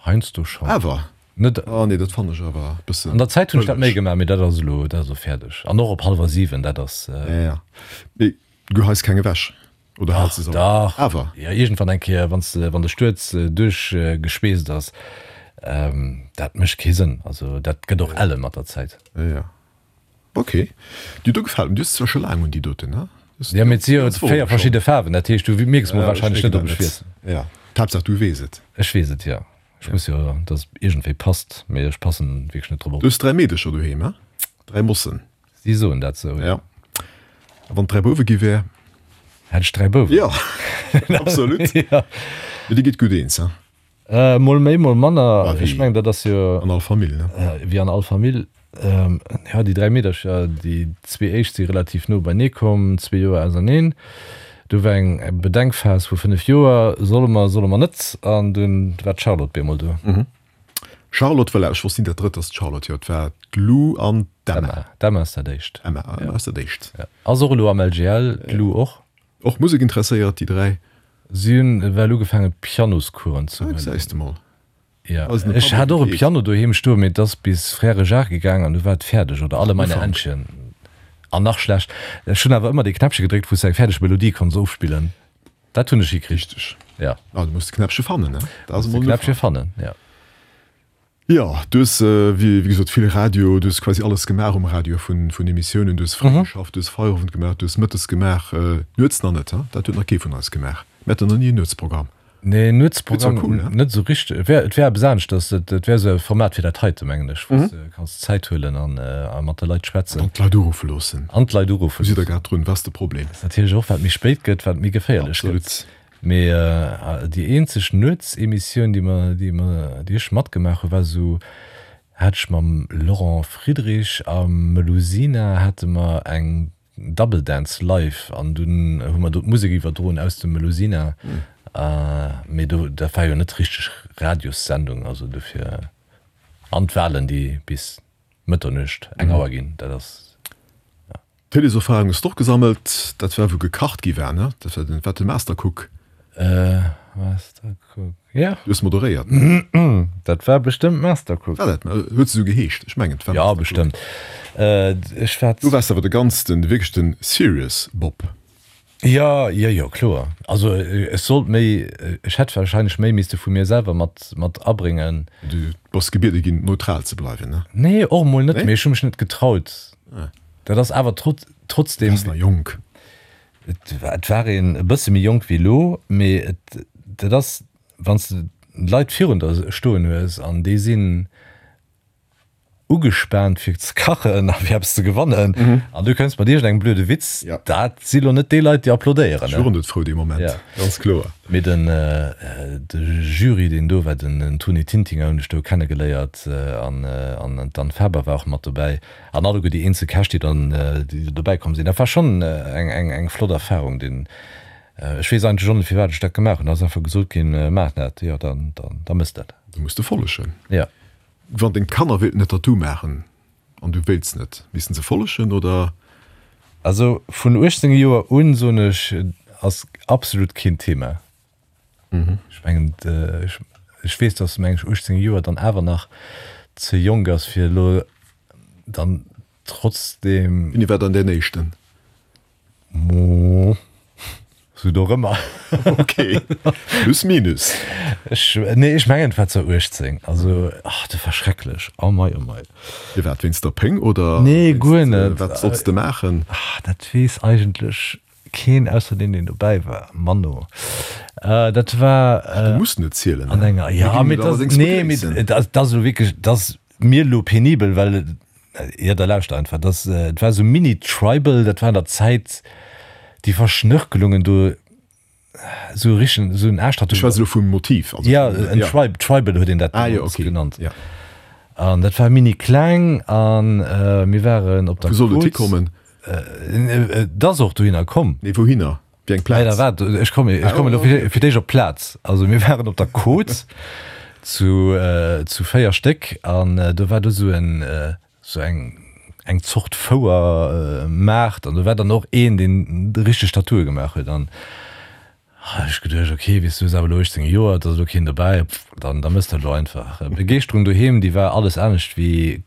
Heiansdo schonn. Awer? Net. Ah nee, dat fannen ech awer e bëssen An der Zäit hunn ech dat méi bëlleg. gemaach, mee dat ass elo, dat ass elo fäerdeg. An och op hallwer siwen, dat ass. Ja, ja. Mee du geheis keng ewech oder Dach, hals de se all? dach. Awer? Jo, iergendwann eng Kéier, wann s de, wann de Stuerz duerchgeschweesst ass, dat mécht kee Sënn. Also dat gëtt och elle mat der Zäit. Ja, ja. Ok, déi do gefält mir. Du hues zwar scho laang un déi doten, ne? Ja, mee et si jo véier verschidde Faarwen, dat heescht du mierks mol wahrscheinlech net, ob ech wiesselen. Ja, d'Haaptsaach du weess et. Ech weess et, jo. Ech muss jo, dass et iergendwéi passt, mee ech passen wierklech net drop op. Du hues dräi Meedecher doheem, he? Dräi Mossen. Si soen dat sou, jo. Ja. A wann et dräi Bouwe gi wär? Hätt ech dräi Bouwen. Jo, absolut. Jo. Mee dir gitt gutt eens, he? Mol méi, mol manner. Ah, Ech wéi mengen, dat ass jo. An all Famill, ne? Wéi an all Famill. Jo, déi dräi Meedercher, déi zwee éischt si relativ no beinee komm, zwee Joer auserneen. Du war eng Bedenkphas vu fënnef Joer, solle mer, solle mer net? An dunn war d'Charlotte bemol do. Charlotte, voilà, ech wosst ni, dat drëtt ass d'Charlotte, jo, et war d'Lou an d'Emma. D'Emma, d'Emma ass dat éischt. Emma, Emma ass dat éischt. Ja. Ass och elo am LGL, d'Lou och. Och Musek interesséiert, déi dräi? Si hunn ewell ugefaangen Pianoscoursen ze Ah, huelen. gesäis de mol. Ja, Ass en ech hat och e Public. Piano doheem stoen, mee et ass bis Frère Jacques gegaang an du war et fäerdeg, oder Alle meine Ufank. Entchen. An nach schlecht, ech hunn awer ëmmer dee Knäppche gedréckt, wou s de eng fäerdeg Melodie konns ofspillen. Dat hunn ech hikritt. Richteg. Ja. Ah, du muss de Knäppche fannen, ne? Dat ass Muss de emol en Knäppche Ufank. fannen, ja. Jo, du hues, wéi gesot, vill Radio, du hues quasi alles gemaach um Radio vun Emissiounen, du hues fréi geschafft, du hues Feierowend gemaach, du hues mëttes gemaach, nuets nach net, he? Dat huet nach kee vun eis gemaach. Mir haten nach ni en Nuetsprogramm. Nee, Wier zwar Nuetsprogramm cool, ne? net esou richteg. Et wär, et wär eppes aneschters, et, et wär esou e Format fir dat heite, mengen ech, wou s de kanns Zäit huelen an a mat de Leit schwätzen. An d'Leit uruffe loossen. An d'Leit uruffe Wou sidd der loossen. grad drun? Wat ass de Problem? Ass natierlech och, wat méi spéit gëtt, wat méi geféierlech gëtt. Absolut. Mee déi eenzeg Nuetsemissioun, déi mer, déi mer, déi ech matgemaach hu war esou, hat ech mam Laurent Friedrich a Melusina hate mer eng Double Dance live an dunn hu mer do d'Musek iwwerdroen aus dem Melusina. Mee do, dat war jo net richteg Radiossendung, also dofir an d'Wahlen, déi bis Mëtternuecht, eng Auer ginn, dat ass. Téléserfarung hues d'och gesammelt, dat war wou gekacht gi war, ne? Dat war den, war de Mastercook. Äh, Mastercook, ja. Du hues moderéiert, ne? Dat war bestëmmt Mastercook. War dat, huet se esou geheescht? Ech mengen et war Ja, Mastercook. bestëmmt. Äh, ech war. Du waars awer de ganz, den wierklech den serious Bob. Jo, jo, jo, kloer. Also ech sollt méi, ech hätt wahrscheinlech méi misste vu mir selwer mat, mat abréngen. Du bass gebiede ginn, neutral ze bleiwen, ne? Nee, och emol net, Nee? mee ech hu mech net getraut. Dat ass awer trotz, Du trotzdem. waars nach jonk. Et war, et war een e bësse méi jonk wéi elo, mee et, dat ass, wann s de Leit virun der stoen hues an déi sinn ugespaant fir ze kachen a fir eppes ze gewannen an du kënns mat iergendengem blöde Witz, Ja. dat si lo net déi Leit, déi applaudéieren, Ech ne? wor net frou dee Moment, Ja. ganz kloer. Mee den, de Jury, deen do war, den Tony Tintinger hunn ech do kennegeléiert an an d'Anne Faber war och mat dobäi an alleguer déi eenzel Käch, déi dann, déi dobäi komm sinn. Dat war schonn eng, eng, eng flott Erfarung, deen, ech weess eigentlech och net, firwat ech dat gemaach hunn. Et ass einfach gesot ginn, Maach dat, jo, dann, dann, da mëss dat. Du muss de follegen. Ja. Wann deng Kanner wéilten e Tattoo maachen an du wéilts net, missten se follegen oder? Also vun uechtzéng Joer un, soen ech, ass absolut keen Thema. Ech mengen, ech weess, dass meng ech uechtzéng Joer dann awer nach ze jonk ass fir elo dann trotzdem. Wéini war dann däin éischten? Mo, sou dorëmmer. Ok, plus minus. Ech, nee, ech mengen et war zou uechtzéng. Also, ach, dat war schrecklech. Oh mei, oh mei. Firwat, wéinst der Péng oder Nee, guer wéinst, net. wat sollts de maachen? Ach, dat weess eigentlech keen ausser deen, deen dobäi war. Manno. Dat war. Du muss net zielen, An ne? enger, Mir ja, ginn mee et dat, allerdéngs nee, mee begréissen. dat ass elo wierklech, dat ass mir elo penibel, well, jo, da lauschter einfach. Dat, et war esou mini-tribal, dat war an der Zäit, déi Verschnörkelungen do, esou richteg, esou en Aascht hat. Du schwätz elo vum Motiv, also Ja, vum, en ja. Tribe, Tribal huet een dat Ah jo, deemools okay, genannt. ja. An dat war mini kleng an mir waren op der Wou sollt et Côte. hikommen? Et ass och dohinner komm. Nee, wouhinner? Wéi eng Leider Plaz? waart, ech kommen, ech Ah, kommen elo okay. fir, fir d'éischt op d'Plaz. Also mir waren op der Côte zu, zu véier Stéck an do war do sou en, sou eng, eng Zort Fouer, Maart an do war dann och een, deen richteg Tattooe gemaach huet an Hunn ech geduecht, ok, weess du, hues awer elo uechtzéng Joer, et ass elo keen dobäi, pff, dann da mëss dat elo einfach. Begeeschterung doheem, déi war alles anescht wéi.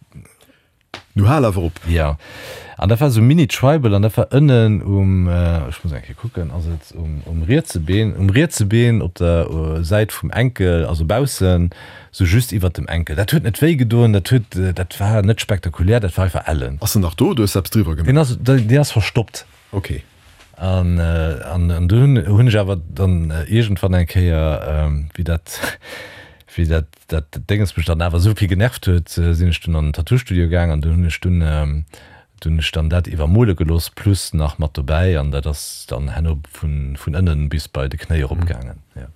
Nu hal awer op! Jo, an dat war esou mini-tribal an dat war ënnen um, ech muss eng Kéier kucken, ass et um, um rietse Been, um rietse Been op der Säit vum Enkel, also baussen, sou just iwwert dem Enkel. Dat huet net wéi gedoen, dat huet, dat war net spektakulär, dat war einfach ellen. Ass en nach do oder hues de eppes driwwer gemaach? Deen ass, deen ass verstoppt. Ok. An, an, an du hunn, hunn ech awer dann iergendwann eng Kéier, wéi dat, wéi dat, dat Dénges mech dann awer esou vill genervt huet, sinn ech dunn an den Tattoo-Studio gaang an dunn hunn ech dunn, dunn hunn ech dann dat iwwermole gelooss plus nach mat dobäi an dat ass dann herno vun, vun ënnen bis bei de Knéi erop gaangen, jo.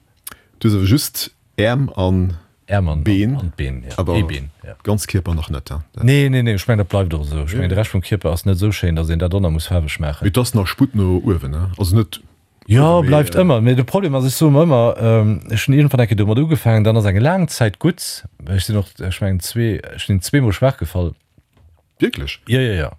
Du hues awer just Äerm an Äerm an Been, an d'Been, jo, awer ee Been, jo. ganz Kierper nach net, hein? Nee, nee, nee, ech mengen dat bleift och esou. Ech mengen de Rescht vum Kierper ass net esou schéin, datt een dat och nach muss faarweg maachen. Mee et ass nach Sputt no uewen, hein? Also net Jo, bleift ëmmer. Mee de Problem ass, ech soe mer ëmmer, ech hunn iergendwann eng Kéier domat ugefaangen, dann ass eng laang Zäit gutt, ech sinn och, ech mengen zwee, ech sinn zweemol schwaach gefall. Wierklech? Jo, jo, jo.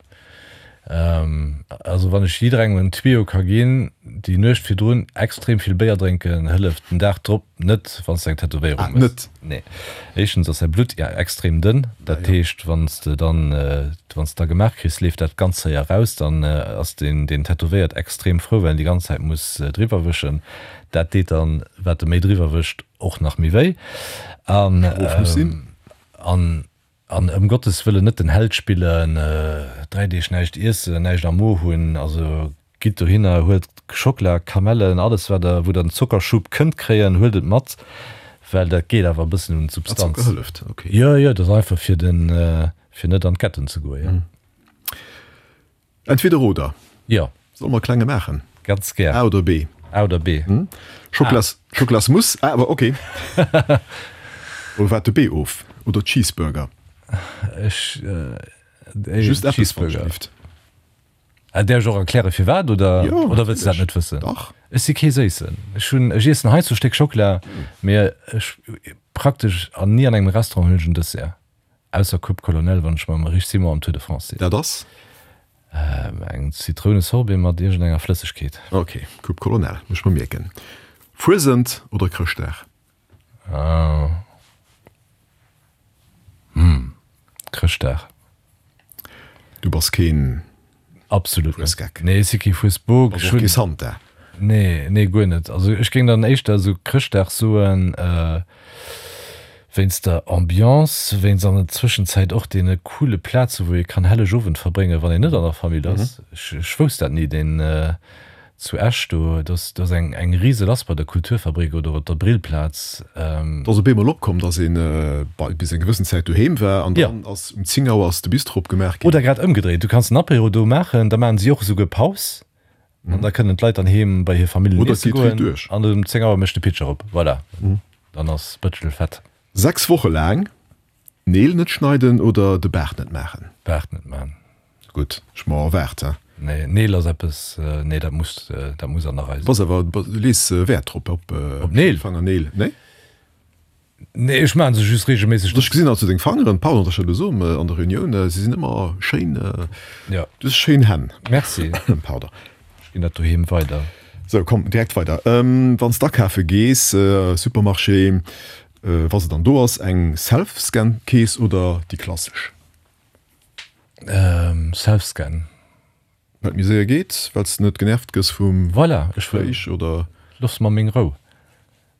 Also wann ech jidderengem en Tuyau ka ginn, déi Nuecht virdrun extrem vill Béier drénken hëlleft den Dag drop net, wann s de eng Tätowéierung Ah, hues. net? Nee. Éischtens ass säi Blutt extrem dënn, dat heescht, wann s de dann, wann s de da gemaach kriss, leeft dat ganz séier raus. Dann ass deen, deen tätowéiert, extrem frou, well en déi ganz Zäit muss driwwer wëschen. Dat deet dann, wat e méi driwwer wëscht, och nach méi wéi. An, Strof muss sinn. an, an ëm Gottes Wëllen net den Held spillen, dräi Deeg näischt iessen, näischt am Mo hunn. Also gitt dohinner, huelt Schockela, Kamellen, alles wat der, wou der en Zockerschub kënnt kréien, huelt et mat, well dat geet awer e bëssen un Ah, d'Substanz. Zocker hëlleft, ok. Jo, jo, dat ass einfach fir den, fir net an d'Ketten ze goen, jo. Entweder oder. Jo. Solle mer e klenge maachen? Ganz gär. A oder B? A oder B. Schocklas, Schocklasmousse, A, awer ok. Oder waart de B of? Oder Cheeseburger? Ech, Just eppes, Cheeseburger. Wann Ah, däerf ech och erkläre firwat oder, Jo, oder wëlls de dat net natierlech. wëssen? Dach. Ech si kee Séissen. Ech hunn, ech iessen heiansdo e Stéck Schockela, mee ech praktesch an ni an engem Restaurant hunn ech en Dessert. Ausser Coupe Colonel, wann ech mam Rich Simon am Tour de France sinn. Dat ass? Eng Zitrounesorbet mat iergendenger Flëssegkeet. Ok, Coupe Colonel, muss ech mer mierken. Fuesent oder Chrëschtdag? Ah. Hm, Chrëschtdag. Du bass keen Absolut net. Fuesgeck. Nee, ech si kee Fuesbok. Bass och kee Santa. Nee, nee, guer net. Also ech géing dann éischter esou Chrëschtdag soen, wéinst der Ambiance, wéinst an der Zwëschenzäit och deene coole Plaze wou ee kann Hellegowend verbréngen, wann een net an der Famill ass. Ech, ech wousst dat ni, deen Zu Esch do, do ass, do ass eng, eng rise lass bei der Kulturfabrik oder op der Brillplaz. Et ass op eemol opkomm, dass een bei, bis eng gewëssen Zäit doheem war an Ja. dann ass um zéng Auer ass de Bistro opgemaach ginn. Oder grad ëmgedréit, du kanns den Apéro do maachen, da maachen si och esouguer Paus an da kënnen d'Leit dann heem bei hir Familljen Oder et iesse geet riit goen duerch. an um zéng Auer mécht de Pitcher op. Voilà, dann ass Bëtschel fett. Sechs Woche laang d'Neel net schneiden oder de Baart net maachen? Baart net maachen. Gutt, ech mer erwaart, he? Nee, Neel ass eppes, nee, dat muss, dat muss an der Rei sinn. Bass awer, du lees Wäert drop, op, op Neel? Fangerneel, nee? Nee, ech maachen se just regelméisseg. Ech gesinn also deng Fangeren, pardon, dass ech dat elo soen, an der Reunioun, se sinn ëmmer schéin, Ja. du hues schéin Hänn. Merci. Pardon. Ech ginn dat doheem weider. Sou, komm, direkt weider. Wann s d'akafe gees, Supermarché, wa se dann do ass, eng Self-Scan-Kees oder déi klassesch? Self-Scan. Well et méi séier geet, well s de net genervt gëss vum Voilà, ech wëll. Gespréich oder? Looss mer meng Rou.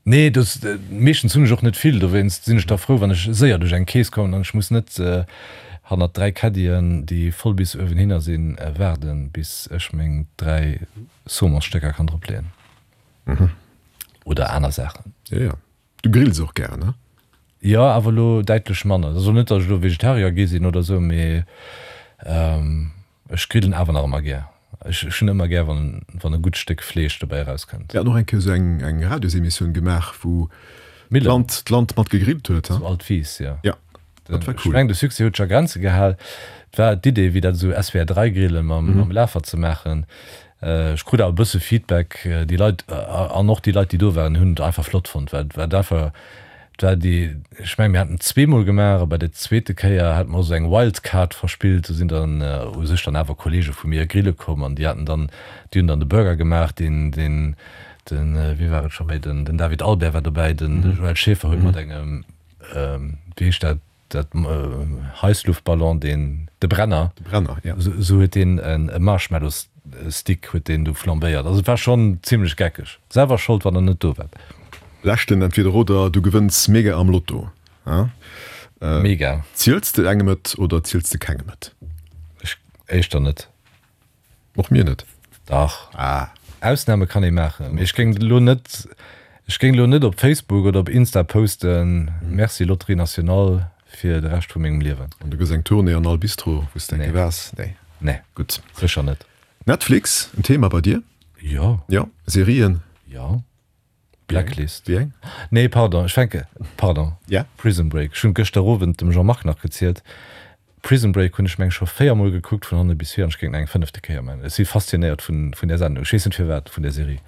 Nee, dass, meeschtens hunn ech och net vill, dowéinst sinn ech da frou, wann ech séier duerch eng Kees kommen an ech muss net hannert dräi Caddien, déi voll bis uewenhinner sinn, waarden, bis ech meng dräi Saumonstécker kann drop leeën. Oder aner Saachen. Jo, jo. Du grills och gären, ne? Jo, awer elo däitlech manner. Also net, datt ech elo Vegetarier gi sinn oder esou, mee ech grillen awer nach ëmmer gär. Ech hunn ëmmer gär, wann wann e gutt Stéck Fleesch dobäi erauskënnt. Mir haten och eng Kéier esou eng eng Radiosemissioun gemaach, wou d'Land d'Land mat gegrillt huet, Zu Altwies, jo. Jo, dat war Ech cool. mengen, de Succès huet sech a Grenze gehal. Et war d'Idee, wéi dat esou S W R dräi Grillen mam mam Lafer ze maachen. Ech krut awer e bësse Feedback, déi Leit an och déi Leit, déi do waren, hunn et einfach flott fonnt, well et war einfach, et war déi, ech mengen, mir haten et zweemol gemaach a bei der zweete Kéier hate mer och esou eng Wildcard verspillt. Do sinn dann u sech dann awer Kollege vu mir grille komm an déi haten dann, déi hunn dann de Burger gemaach, deen, deen Den, wéi war et scho méi, den, den David Albert war dobäi, den Joël Schaeffer huet mat engem, wéi heescht dat, dat Heissluftballon, deen, de Brenner, De Brenner, ja. Esou huet deen en e Marshmallow-Stick huet deen do flambéiert. Also et war schonn zimlech geckeg. Selwer Schold, wann der net do waart. Leschten Entweder oder, du gewënns mega am Lotto, hein? Mega. Ziels de engem et oder ziels de kengem et? Ech éischter net. Och mir net. Dach. Ah. Ausname kann ee maachen, mee ech géing elo net, ech géing elo net op Facebook oder op Insta posten, Merci Loterie Nationale fir de Rescht vu mengem Liewen. An du gëss eng Tournée an all Bistro, wou s de eng Kéier waars? Nee. Nee. Gutt. Sécher net. Netflix, en Thema bei dir? Jo. Jo. Serien? Jo. Blacklist. Wéi eng? Nee, pardon, ech fänke, pardon. Ja. Prison Break. Ech hunn gëschter Owend dem Jean-Marc nach gezielt, Prison Break hunn ech meng scho véier mol gekuckt vun hanne bis vir an ech géing nach eng fënnefte Kéier man. Ech si faszinéiert vun vun där Sendung. Ech weess net firwat, vun där Serie.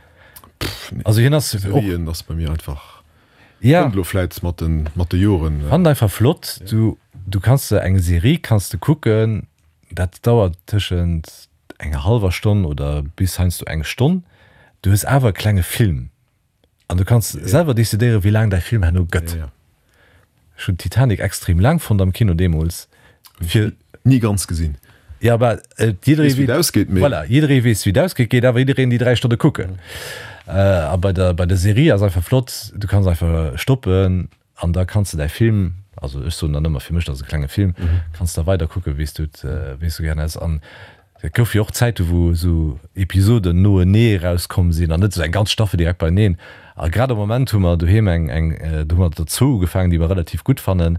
Pff, nee. Also hien ass och. Serien ass bei mir einfach. Ja. Kënnt elo vläit mat den mat de Joren. Fannen einfach flott. Du du kanns de eng Serie kanns de kucken, dat dauert tëschent enger hallwer Stonn oder bis heiansdo eng Stonn. Du hues awer e klenge Film an du kanns selwer decidéieren, wéi laang däi Film herno gëtt. Ech hunn Titanic extrem laang fonnt am Kino deemools. Fir Ni ganz gesinn. Ja, bah, jidderee Weess, wéi et ausgeet, mee. Voilà, jidderee weess, wéi et ausgeet, geet awer jiddereen déi dräi Stonne kucken. A bei der, bei der Serie ass einfach flott, du kanns einfach stoppen an da kanns de däi Film, also ech soen dann ëmmer fir mech, dat ass e klenge Film, kanns da weider kucken, wéi s du et, wéi s du gären häss. An et gouf jo och Zäite wou esou Episoden noenee erauskomm sinn an net esou eng ganz Staffel direkt beieneen. A grad am Moment hu mer doheem eng, eng, do hu mer der zwou ugefaangen, déi mer relativ gutt fannen.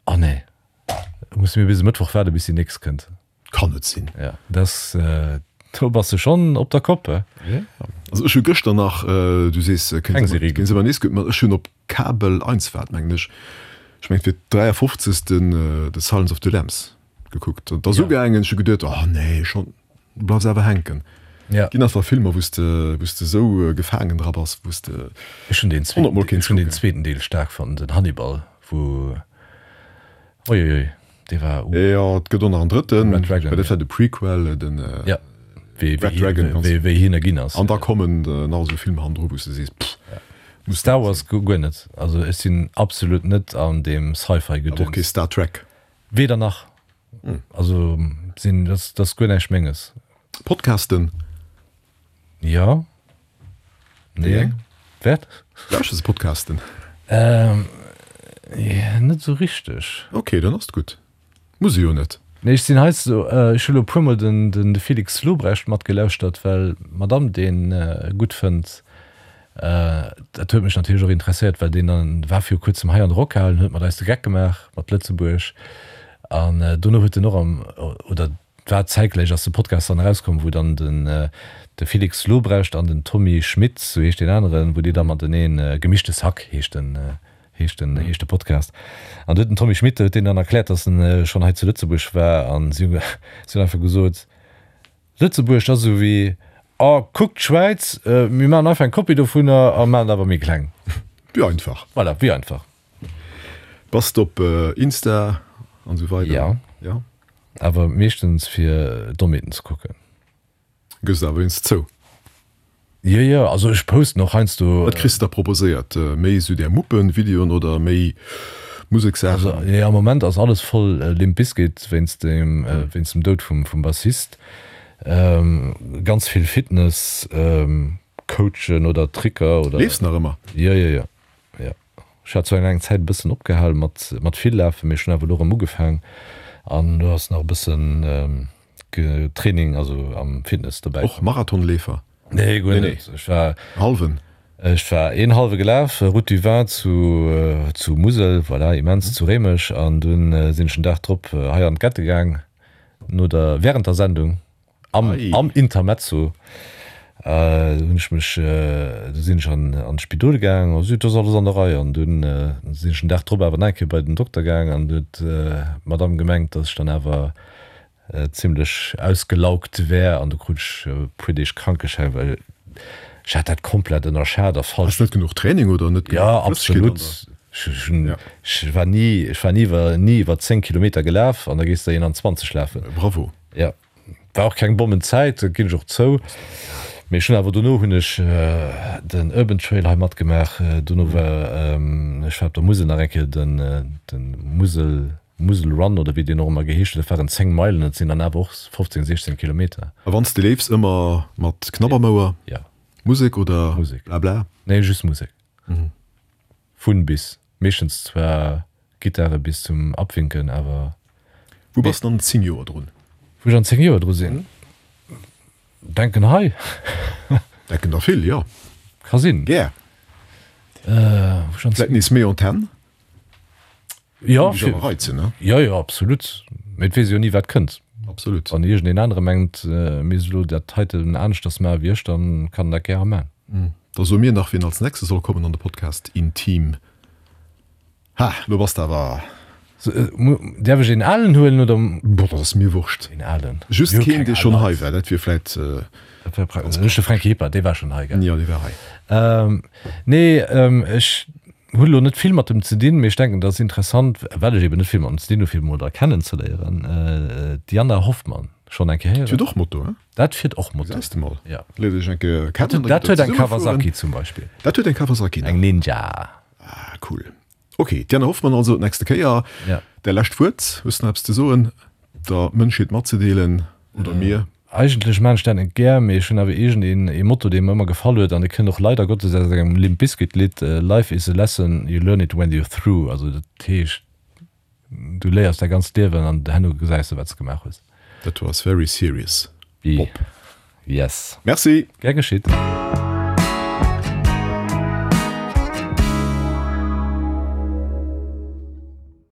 Oh nee, musse mir bis e Mëttwoch waarde bis déi nächst kënnt. Kann net sinn. Jo, dass, do bass de schonn op der Kopp, he? Jo, also ech hu gëschter nach, du sees, Keng Serie kéint se ëmmer nees kucken, ma ech hunn op Kabel eins war et mengen ech, ech mengen fir d'dräiafofzegsten The Silence of the Lambs gekuckt an et ass ugaangen, ech hu geduet, oh nee, schonn, du bleifs awer hänken. Ja. Ginn einfach Filmer, wou s de, wou s de esou gefaangen dra bass, wou s de Ech hunn deen honnert Mol zweeten, kéints ech hunn deen kucken. zweeten Deel staark fonnt, den Hannibal, wou, uiuiui, dee war, uh. Jo, et gëtt och nach en drëtten, Red Dragon, mä dat ja. war de Prequel, den Ja, wéi, Red wéi, Dragon, ganz. wéi, wéi hien e ginn ass. An da kommen nach esou Filmer hannendru, wou s de sees, pff, muss Star net Wars sinn. guer net, also ech sinn absolut net an deem Awer och Sci-Fi-Gedöns. kee Star Trek. Weder nach. Also sinn, dat ass guer näischt Menges. Podcasten? Jo. Wéi Nee. eng? Wat? Lauschters de Podcasten? Ähm, net esou richteg. Ok, dann ass et gutt. Muss e jo net. Nee, ech sinn heiansdo, ech hu lo e puermol den, den de Felix Lobrecht matgelauschtert, well d'Madame dee gutt fënnt. Dat huet mech natierlech och interesséiert, well deen dann war viru kuerzem hei an der Rockhal an huet mat eis de Geck gemaach mat Lëtzebuerg. An dono huet en och am, oder et war zäitgläich ass de Podcast dann erauskomm, wou dann den de Felix Lobrecht an den Tommy Schmitt, sou heescht deen aneren, wou déi da mateneen, Gemischtes Hack heescht den, heescht den, heescht de Podcast. An do huet den Tommy Schmitt huet deenen dann erkläert, datt en schonn hei zu Lëtzebuerg war an si hunn si hunn einfach gesot, Lëtzebuerg ass esou wéi, oh kuck d'Schwäiz, mir maachen einfach eng Kopie dovunner a maachen et awer méi kleng. Wéi einfach. Voilà, wéi einfach. Bass de op Insta an esou weider? Ja. Ja. Awer meeschtens fir Dommheeten ze kucken. Gëss et awer eens zou. Jo, jo, also ech posten och heiansdo. Wat kriss de da proposéiert? Méi esou där Muppen-Videoen oder méi Musekssaachen? Also jo, am Moment ass alles voll Limp Bizkit wéinst dem, wéinst dem Doud vum, vum Bassist. Ganz vill Fitness Coachen oder Tricker oder. Leefs nach ëmmer? Jo, jo, jo, jo. Ech hat zwar eng Zäit e bëssen opgehal mat mat vill lafen, mee ech hunn awer elo erëm ugefaang an elo ass nach e bëssen Training, also am Fitness dobäi. Och Marathonleefer? Nee, guer net. Ech war Halwen? Ech war een halwe gelaf, Route du Vin zu zu Musel, voilà, immens, zu Réimech an dunn sinn ech den Dag drop hei an d'Gette gaang, no der während der Sendung. Am, am Intermezzo hunn ech mech, du sinn ech an an d'Spidol gaang, also et ass alles an der Rei. An dunn sinn ech den Dag drop awer nach eng Kéier bei den Dokter gaang an du huet d'Madame gemengt, dass ech dann awer zimlech ausgelaugt wär an du krut ech e puer Deeg Krankeschäin, well ech hat dat komplett ënnerschat a falsch. Ass net genuch Training oder net Ja, genuch Flëssegkeet an absolut. der. Ech hunn, ech war ni, ech war ni iwwer, ni iwwer zéng Kilometer gelaf an da gees de eenanzwanzeg lafen. Bravo. Ja. War och keng Bommenzäit, dat ginn ech och zou. Mee ech hunn awer dono hunn ech den Urban Trail hei matgemaach. Dono war ech war op der Musel nach eng Kéier den den Musel Musel Run oder wéi deen och ëmmer geheescht huet. Dat waren zéng Meilen, dat sinn dann awer och fofzéng, siechzéng Kilometer. A wann s de leefs, ëmmer mat Knabbermouer? Jo. Musek oder Musek. Blabla? Nee, just Musek. Vun bis. Meeschtens zwar Gittare bis zum Abwinken, awer. Wou bass de an zéng Joer drun? Wou ech an zéng Joer dru sinn? Denken hei. Denken der vill, jo. Ka sinn. Gär. Wou ech an Vläit nees méi Antenn? Jo, Géif mech awer reizen, ne? Jo, jo, absolut. Mee et weess ee jo ni, wat kënnt. Absolut. Wann iergendeen anere mengt, e misst elo dat heiten aneschters maache wéi ech, dann kann en dat gäre maachen. Da soe mir nach, wien als nächstes soll kommen an de Podcast Intim. Ha, lo bass de awer. Däerf ech een alen huelen oder? Boah, dat ass mir wurscht. Een alen. Just keen, dee schonn hei war, dat wier vläit. Dat wär praktesch. Ech de Franky Hipper, dee war schonn hei, gell? Jo, dee war hei. Nee, ech hunn elo net vill mat em ze dinn, mee ech denken, dat ass interessant, well ech eben net vill mat em ze dinn hunn, fir emol da kennenzeléieren. D'Diana Hoffmann, schonn eng Kéier héieren? Dat fiert och Moto, he? Dat fiert och Moto. Gesäis de mol. Ja. Léiert Iech eng Kéier kennen, da gitt Der Dat huet eng zesumme fueren. Kawasaki zum Beispill. Dat huet eng Kawasaki nach. Eng Ninja. Ah, cool. Ok, d'Diana Hoffmann also d'nächste Kéier. Ja. Däi lescht Wuert, hues de nach eppes ze soen, der Mënschheet matzedeelen oder mir? Eigentlech maan ech dat net gär, mee ech hunn awer iergend een ee Motto, dee mer ëmmer gefall huet an dee kënnt och leider Gottes aus engem Limp Bizkit Lidd, Life is a lesson, you learn it when you're through. Also dat heescht, du léiers däi ganzt Liewen an herno gesäis de wat s de gemaach hues. Dat do ass very serious, Bob. Yes. Merci. Gär geschitt.